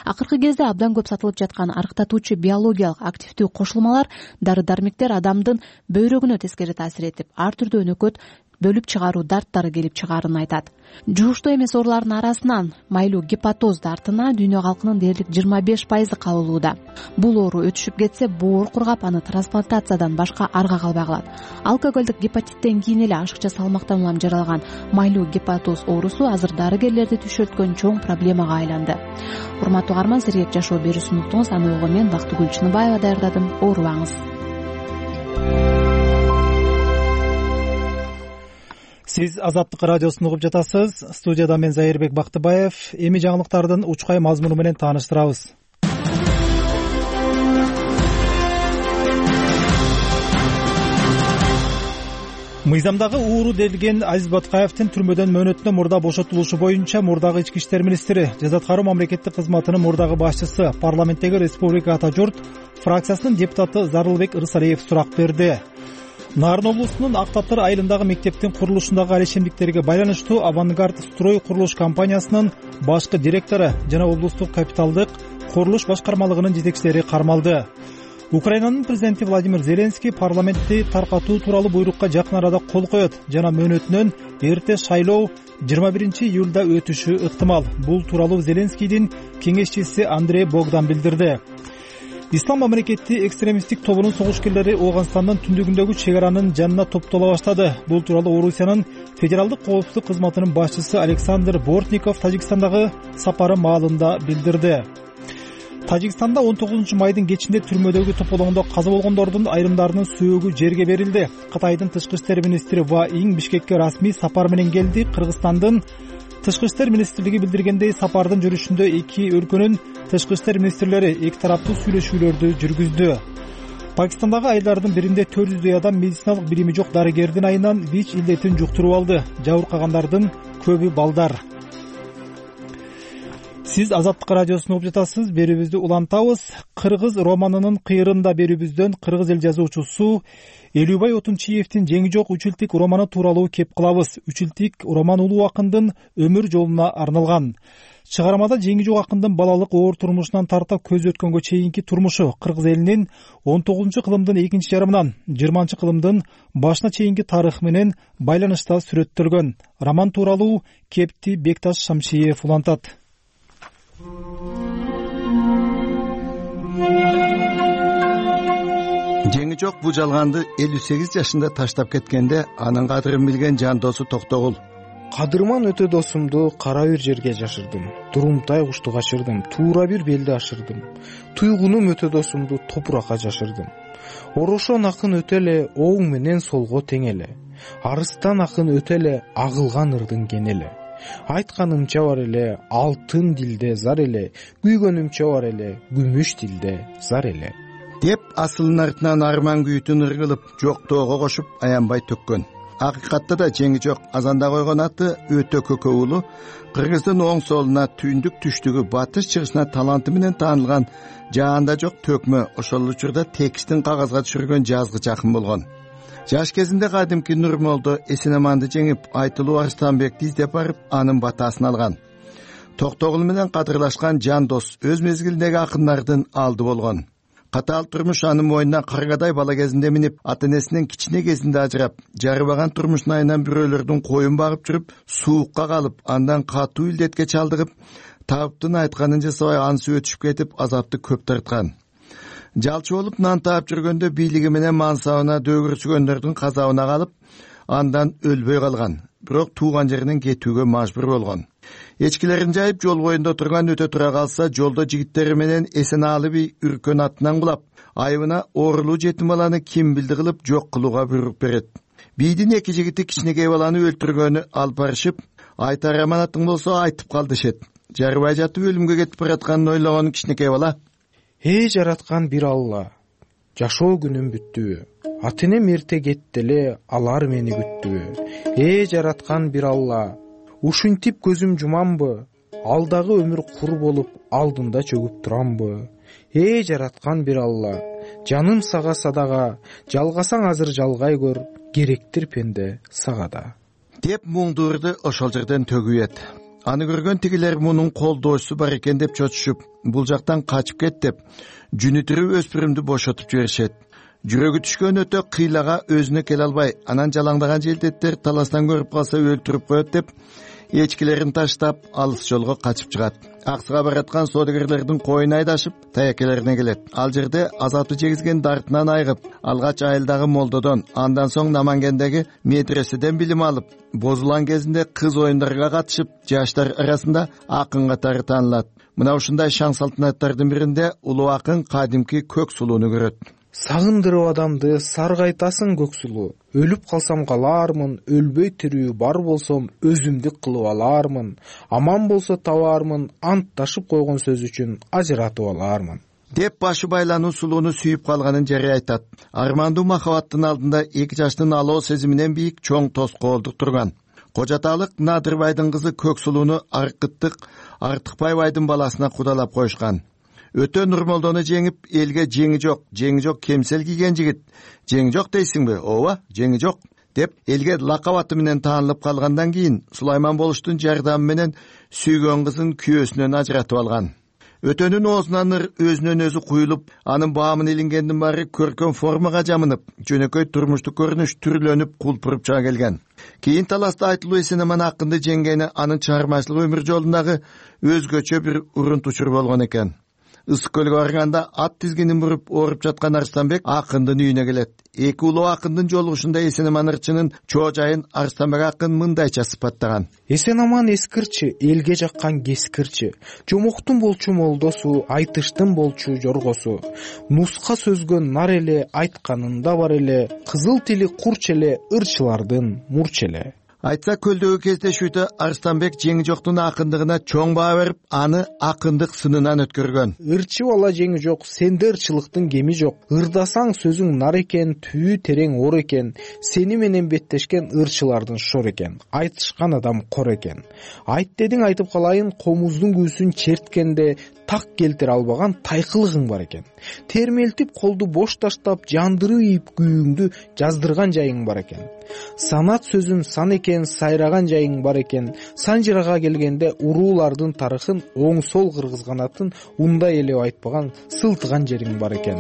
[SPEAKER 22] Акыркы кезде абдан көп сатылып жаткан арыктатуучу биологиялык активдүү кошулмалар, дары-дармектер адамдын бөйрөгүнө тескери таасир этип, ар түрдүү өнөкөт бөлүп чыгаруу дарттары келип чыгаарын айтат. Жугуштуу эмес оорулардын арасынан майлуу гепатоз дартына дүйнө калкынын дээрлик 25% кабылууда. Бул оору өтүшүп кетсе, боор кургап, аны трансплантациядан башка арга калбай калат. Алкоголдук гепатиттен кийин эле ашыкча салмактан улам жаралган майлуу гепатоз оорусу азыр дарыгерлерди түшөлткөн чоң проблемага айланды. Урматтуу угарман, сизге жашоо берүүсүн уктуңуз. Аны угуу мен Бактыгүл Чыныбаева даярдадым. Оорубаңыз.
[SPEAKER 1] Сиз Азаттык радиосун угуп жатасыз. Студияда мен Зайырбек Бактыбаев. Эми жаңылыктардын учкай мазмуну менен тааныштырабыз. мыйзамдагы ууру дедилген Азиз Батукаевдин түрмөдөн мөөнөтүнөн мурда бошотулушу боюнча мурдагы ички иштер министри, жаза аткаруу мамлекеттик кызматынын мурдагы башчысы, парламенттеги Республика Ата журт фракциясынын депутаты Зарылбек Ырсалиев сурак берди. Нарын облусунун Ак Таптар айылындагы мектептин курулушундагы алешемдиктерге байланыштуу Авангард строй курулуш компаниясынын башкы директору жана облустук капиталдык курулуш башкармалыгынын жетекчилери кармалды. Украинанын президенти Владимир Зеленский парламентти таркатуу тууралуу буйрукка жакын арада кол коет жана мөөнөтүнөн эрте шайлоо 21-июлда өтүшү ыктымал. Бул тууралуу Зеленскийдин кеңешчиси Андрей Богдан билдирди. Ислам мамлекети экстремисттик тобунун согушкерлери Ооганстандын түндүгүндөгү чек аранын жанына топтоло баштады. Бул тууралуу Орусиянын федералдык коопсуздук кызматынын башчысы Александр Бортников Тажикстандагы сапары маалында билдирди. Тажикстанда 19 майдын кечинде түрмөдөгү тополоңдо каза болгондордун айрымдарынын сөөгү жерге берилди. Кытайдын тышкы иштер министри Ва Ин Бишкекке расмий сапар менен келди. Кыргызстандын тышкы иштер министрлиги билдиргендей, сапардын жүрүшүндө эки өлкөнүн тышкы иштер министрлери эки тараптуу сүйлөшүүлөрдү жүргүздү. Пакистандагы айылдардын биринде 400 адам медициналык билими жок дарыгердин айынан ВИЧ илдетин жуктуруп алды. Жабыркагандардын көбү балдар. Сиз Азаттык радиосун угуп жатасыз. Берүүбүздү улантабыз. Кыргыз романынын кыйрында берүүбүздөн кыргыз эл жазуучусу Элүүбай Отунчиевдин Жеңи жок Үчүлтик романы тууралуу кеп кылабыз. Үчүлтик роман улуу акындын өмүр жолуна арналган. Чыгармада Жеңи жок акындын балалык оор турмушунан тартып көз өткөнгө чейинки турмушу, кыргыз элинин 19-кылымдын экинчи жарымынан 20-кылымдын башына чейинки тарыхы менен байланышта сүрөттөлгөн. Роман тууралуу кепти Бекташ Шамшиев улантат.
[SPEAKER 7] Жеңи жок бул жалганды 58 жашында таштап кеткенде анын кадырын билген жан досу Токтогул.
[SPEAKER 2] Кадырман өтө досумду кара бир жерге жашырдым. Турумтай кушту качырдым, туура бир белди ашырдым. Туйгунум өтө досумду топуракка жашырдым. Орошон акын өтө эле оң менен солго тең эле. Арыстан акын өтө эле агылган ырдын кен эле. Айтканымча бар эле алтын дилде зар эле, күйгөнүмчө бар эле күмүш дилде зар эле
[SPEAKER 7] деп асылын артынан арман күйүтүн ыргылып жоктоого кошуп аянбай төккөн. Акыйкатта да Жеңи жок азанда койгон аты өтө көкө уулу, Кыргыздын оң солуна, түндүк түштүгү, батыш чыгышына таланты менен таанылган жаанда жок төкмө, ошол учурда текстин кагазга түшүргөн жазгыч акын болгон. Жаш кезинде кадимки Нурмолдо Эсенаманды жеңип, Айтылуу Арстанбекти издеп барып, анын батасын алган. Токтогул менен кадырлашкан жан дос өз мезгилиндеги акындардын алды болгон. Катаал турмуш анын мойнуна каргадай бала кезинде минип, ата-энесинен кичине кезинде ажырап, жарыбаган турмуштун айынан бирөөлөрдүн коюн багып жүрүп, суукка калып, андан катуу илдетке чалдыгып, табыптын айтканын жасабай ансып өтүшүп кетип, азапты көп тарткан. Жалчы болуп нан таап жүргөндө бийлиги менен мансабына дөгүрсүгөндөрдүн казабына калып, андан өлбөй калган. Бирок тууган жеринен кетүүгө мажбур болгон. Эчкилерин жайып жол боюнда турган өтө тура калса, жолдо жигиттери менен Эсенаалы би үркөн атынан кулап, айыбына оорулуу жетим баланы ким билди кылып жок кылууга буйрук берет. Бийдин эки жигити кичинекей баланы өлтүргөнү алып барышып, айтар аманатың болсо айтып кал дешет. Жарыбай жатып өлүмгө кетип баратканын ойлогон кичинекей бала:
[SPEAKER 2] «Эй жараткан бир Алла, жашоо күнүм бүттүбү? Ата-энем эрте кетти эле, алар мени күттүбү? Эй жараткан бир Алла, ушинтип көзүм жумамбы? Алдагы өмүр кур болуп, алдында чөгүп турамбы? Эй жараткан бир Алла, жаным сага садага, жалгасаң азыр жалгай көр, керектир пенде сага да»
[SPEAKER 7] деп муңдуурду ошол жерден төгүп. Аны көргөн тигилер мунун колдоочусу бар экен деп чочушуп, бул жактан качып кет деп, жүнүтүрүп өспүрүмдү бошотуп жиберишет. Жүрөгү түшкөн өтө кыйлага өзүнө келе албай, анан жалаңдаган желдеттер таластан көрүп калса өлтүрүп коет деп, эчкилерин таштап, алыс жолго качып чыгат. Аксыга бараткан соодагерлердин коюн айдашып, таякелерине келет. Ал жерде азапты жегизген дартынан айгып, алгач айылдагы молдодон, андан соң Намангендеги медреседен билим алып, бозулган кезинде кыз оюндарга катышып, жаштар арасында акын катары таанылат. Мына ушундай шаң салтанаттардын биринде улуу акын кадимки көк сулууну көрөт.
[SPEAKER 2] Сагындырып адамды саргайтасың көк сулуу. Өлүп калсам калаармын, өлбөй тирүү бар болсом өзүмдүк кылып алаармын. Аман болсо табаармын, антташып койгон сөз үчүн ажыратып алаармын.
[SPEAKER 7] деп башы байлануу сулууну сүйүп калганын жарыя айтат. Армандуу махабаттын алдында 2 жаштын алоо сезиминен бийик чоң тоскоолдук турган. Кожаталык Надырбайдын кызы Көксулууну Аркыттык Артыкбай байдын баласына кудалап коюшкан. Өтө Нурмолдону жеңип, элге жеңи жок кемсел кийген жигит. Жеңи жок дейсиңби? Ооба, жеңи жок деп элге лакап аты менен таанылып калгандан кийин Сулайман болуштун жардамы менен сүйгөн кызын күйөөсүнөн ажыратып алган. Өтөнүн оозунан өзүнөн өзү куюлуп, анын баамын илингендин баары көркөм формага жамынып, жөнөкөй турмуштук көрүнүш түрлөнүп, кулпуруп чыга келген. Кийин таласта Айтылуу Эсенаман акынды жеңгени анын чыгармачылык өмүр жолундагы өзгөчө бир урунт учур болгон экен. Ысык көлгө барганда ат тизгинин буруп ооруп жаткан Арстанбек акындын үйүнө келет. Эки улуу акындын жолугушунда Эсенаман ырчынын чоо жайын Арстанбек акын мындайча сыпаттаган.
[SPEAKER 2] Эсенаман эскирчи, элге жаккан кескирчи, жомоктун болчу молдосу, айтыштын болчу жоргосу, нуска сөзгөн нар эле, айтканында бар эле, кызыл тили курч эле, ырчылардын мурч эле.
[SPEAKER 7] Айтса көлдөгү кездешүүдө Арстанбек жеңи жоктун акындыгына чоң баа берип, аны акындык сынынан өткөргөн.
[SPEAKER 2] Ырчы бала жеңи жок, сенде ырчылыктын кеми жок. Ырдасаң сөзүң нар экен, түбү терең ор экен. Сени менен беттешкен ырчылардын шор экен. Айтышкан адам кор экен. Айт дедиң айтып калайын, комуздун күүсүн черткенде так келтире албаган тайкылыгың бар экен. Термелтип колду бош таштап, жандырып ийип күйүңдү жаздырган жайың бар экен. Санат сөзүн сан экен, сайраган жайың бар экен. Санжырага келгенде уруулардын тарыхын оң сол кыргызганатын ундай эле айтпаган, сылтыган жериң бар экен.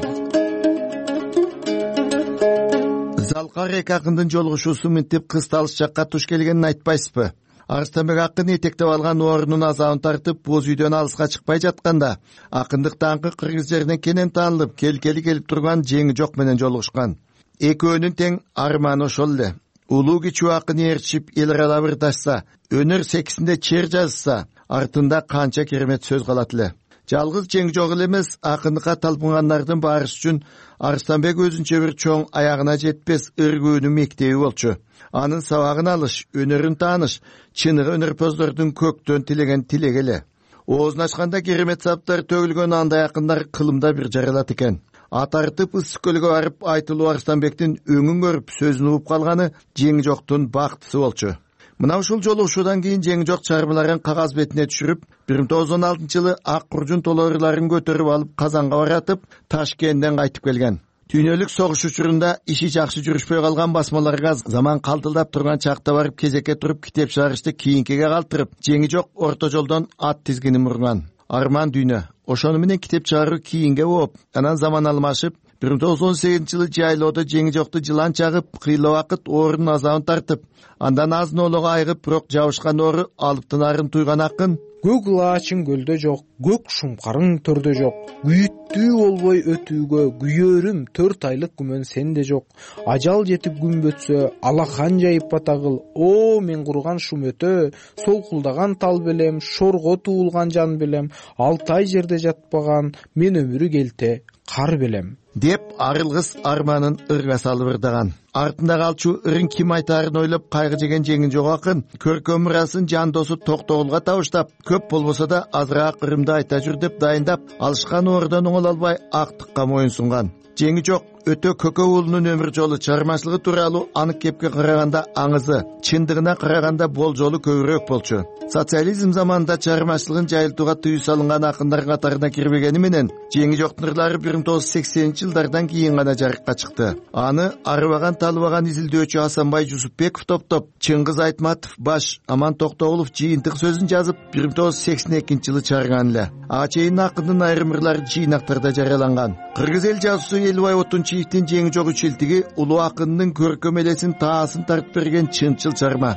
[SPEAKER 7] Залкар эки акындын жолугушуусу мынтип кысталыш жакка туш келгенин айтпайсызбы? Арстанбек акын этектеп алган орунун азабын тартып, боз үйдөн алыска чыкпай жатканда, акындык даңкы кыргыз жеринен кенен таанылып, келкели келип турган жеңи жок менен жолугушкан. Экөөнүн тең арманы ошол эле. Улуу кичүү акын ээрчип, эл аралап ырдашса, өнөр секисинде чер жазса, артында канча керемет сөз калат эле. Жалгыз жеңи жок эле эмес, акындыкка талпынгандардын баарысы үчүн Арстанбек өзүнчө бир чоң аягына жетпес ыргөөнүн мектеби болчу. Анын сабагын алыш, өнөрүн тааныш, чыныгы өнөрпоздордун көктөн тилеген тилеги эле. Оозун ачканда керемет саптар төгүлгөн андай акындар кылымда бир жаралат экен. Ат артып Ысык көлгө барып Айтылуу Арстанбектин өңүн көрүп сөзүн угуп калганы жеңи жоктун бактысы болчу. Мына ушул жолугушуудан кийин жеңи жок чыгармаларын кагаз бетине түшүрүп, 1916-жылы ак куржун толорларын көтөрүп алып Казанга баратып, Ташкенттен кайтып келген. Дүйнөлүк согуш учурунда иши жакшы жүрүшпөй калган басмаларга заман калтылдап турган чакта барып кезекке туруп китеп чыгарышты кийинкиге калтырып, жеңи жок орто жолдон ат тизгинин мурган. Арман дүйнө. Ошону менен китеп чыгаруу кийинге болуп, анан заман алмашып, 1918-жылы жайлоодо жеңи жокты жылан чагып, кыйла убакыт оорунун азабын тартып, андан азын оолого айыгып, бирок жабышкан оору алыптынарын туйган акын
[SPEAKER 2] көк лаачың көлдө жок, көк шумкарың төрдө жок, күйүттүү болбой өтүүгө күйөрүм 4 айлык күмөн сенде жок. Ажал жетип күн бөтсө, алахан жайып батагыл, о мен курган шум өтө, солкулдаган тал белем, шорго туулган жан белем, 6 ай жерде жатпаган, мен өмүрү келте кар белем
[SPEAKER 7] деп арылгыс арманын ырга салып ырдаган. Артында калчу ырын ким айтаарын ойлоп кайгы жеген жеңи жок акын көркөм мурасын жан досу Токтогулга табыштап, көп болбосо да азыраак ырымды айта жүр деп дайындап, алышкан оордон оңоло албай актыкка моюн сунган. Жеңи жок өтө көкө уулунун өмүр жолу, чыгармачылыгы тууралуу анык кепке караганда аңызы, чындыгына караганда болжолу көбүрөөк болчу. Социализм заманында чыгармачылыгын жайылтууга тыюу салынган акындар катарына кирбегени менен, жеңи жоктун ырлары 1980-жылдардан кийин гана жарыкка чыкты. Аны арыбаган талыбаган изилдөөчү Асанбай Жусупбеков топтоп, Чыңгыз Айтматов баш, Аман Токтогулов жыйынтык сөзүн жазып 1982-жылы чыгарган эле. Ага чейин акындын айрым ырлары жыйнактарда жарыяланган. Кыргыз эл жазуусу Элубай Отунчиевдин жеңи жок үчилтиги улуу акындын көркөм элесин таасын тартып берген чынчыл чыгарма.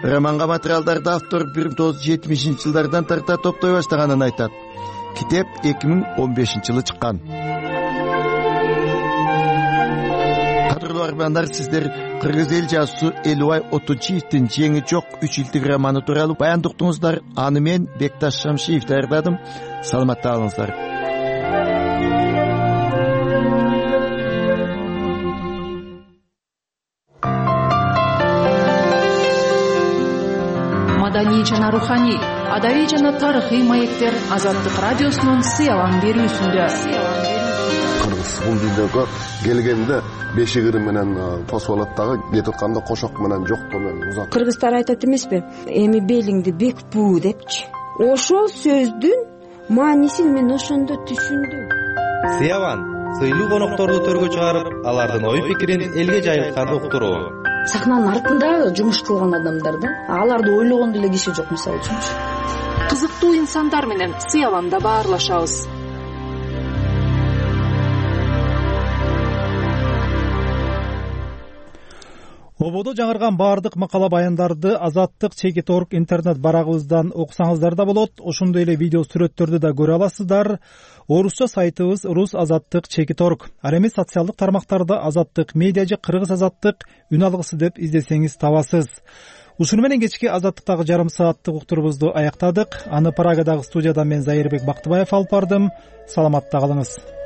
[SPEAKER 7] Романга материалдарды автор 1970-жылдардан тарта топтой баштаганын айтат. Китеп 2015-жылы чыккан. Кадырлуу армандар, сиздер кыргыз эл жазуусу Элубай Отунчиевдин жеңи жок үчилтиг романы тууралуу баяндыктыңыздар. Аны мен Бекташ Шамшиев даярдадым. Саламатта болуңуздар.
[SPEAKER 22] Маданий жана руханий Адаий жана тарыхый маектер Азаттык радиосунун Сыялаң берүүсүндө.
[SPEAKER 4] Кыргыз бул дүйнөгө келгенде бешигири менен тосуп алат дагы, кетип атканда кошок менен жоктоо менен узат.
[SPEAKER 15] Кыргыздар айтат эмеспи? Эми белиңди бек буу депчи. Ошол сөздүн маанисин мен ошондо түшүндүм.
[SPEAKER 16] Сыялаң сыйлуу конокторду төргө чыгарып, алардын ой пикирин элге жайылткан уктуруу.
[SPEAKER 17] Сахнанын артында жумуш кылган адамдар да, аларды ойлогон деле киши жок, мисалы үчүнчү.
[SPEAKER 22] Кызыктуу инсандар менен Сыялаңда баарлашабыз.
[SPEAKER 1] Ободо жаңырган баардык макала баяндарды Азаттык Чекит.орг интернет барагыбыздан окусаңыздар да болот. Ошондой эле видео сүрөттөрдү да көрө аласыздар. Орусча сайтыбыз rusazattik.chekit.org. Ал эми социалдык тармактарда Азаттык медиа же Кыргыз Азаттык үн алгысы деп издесеңиз табасыз. Ушуну менен кечки Азаттыктагы жарым сааттык уктурубузду аяктадык. Аны Прагадагы студиядан мен Зайырбек Бактыбаев алып бардым. Саламатта калыңыз.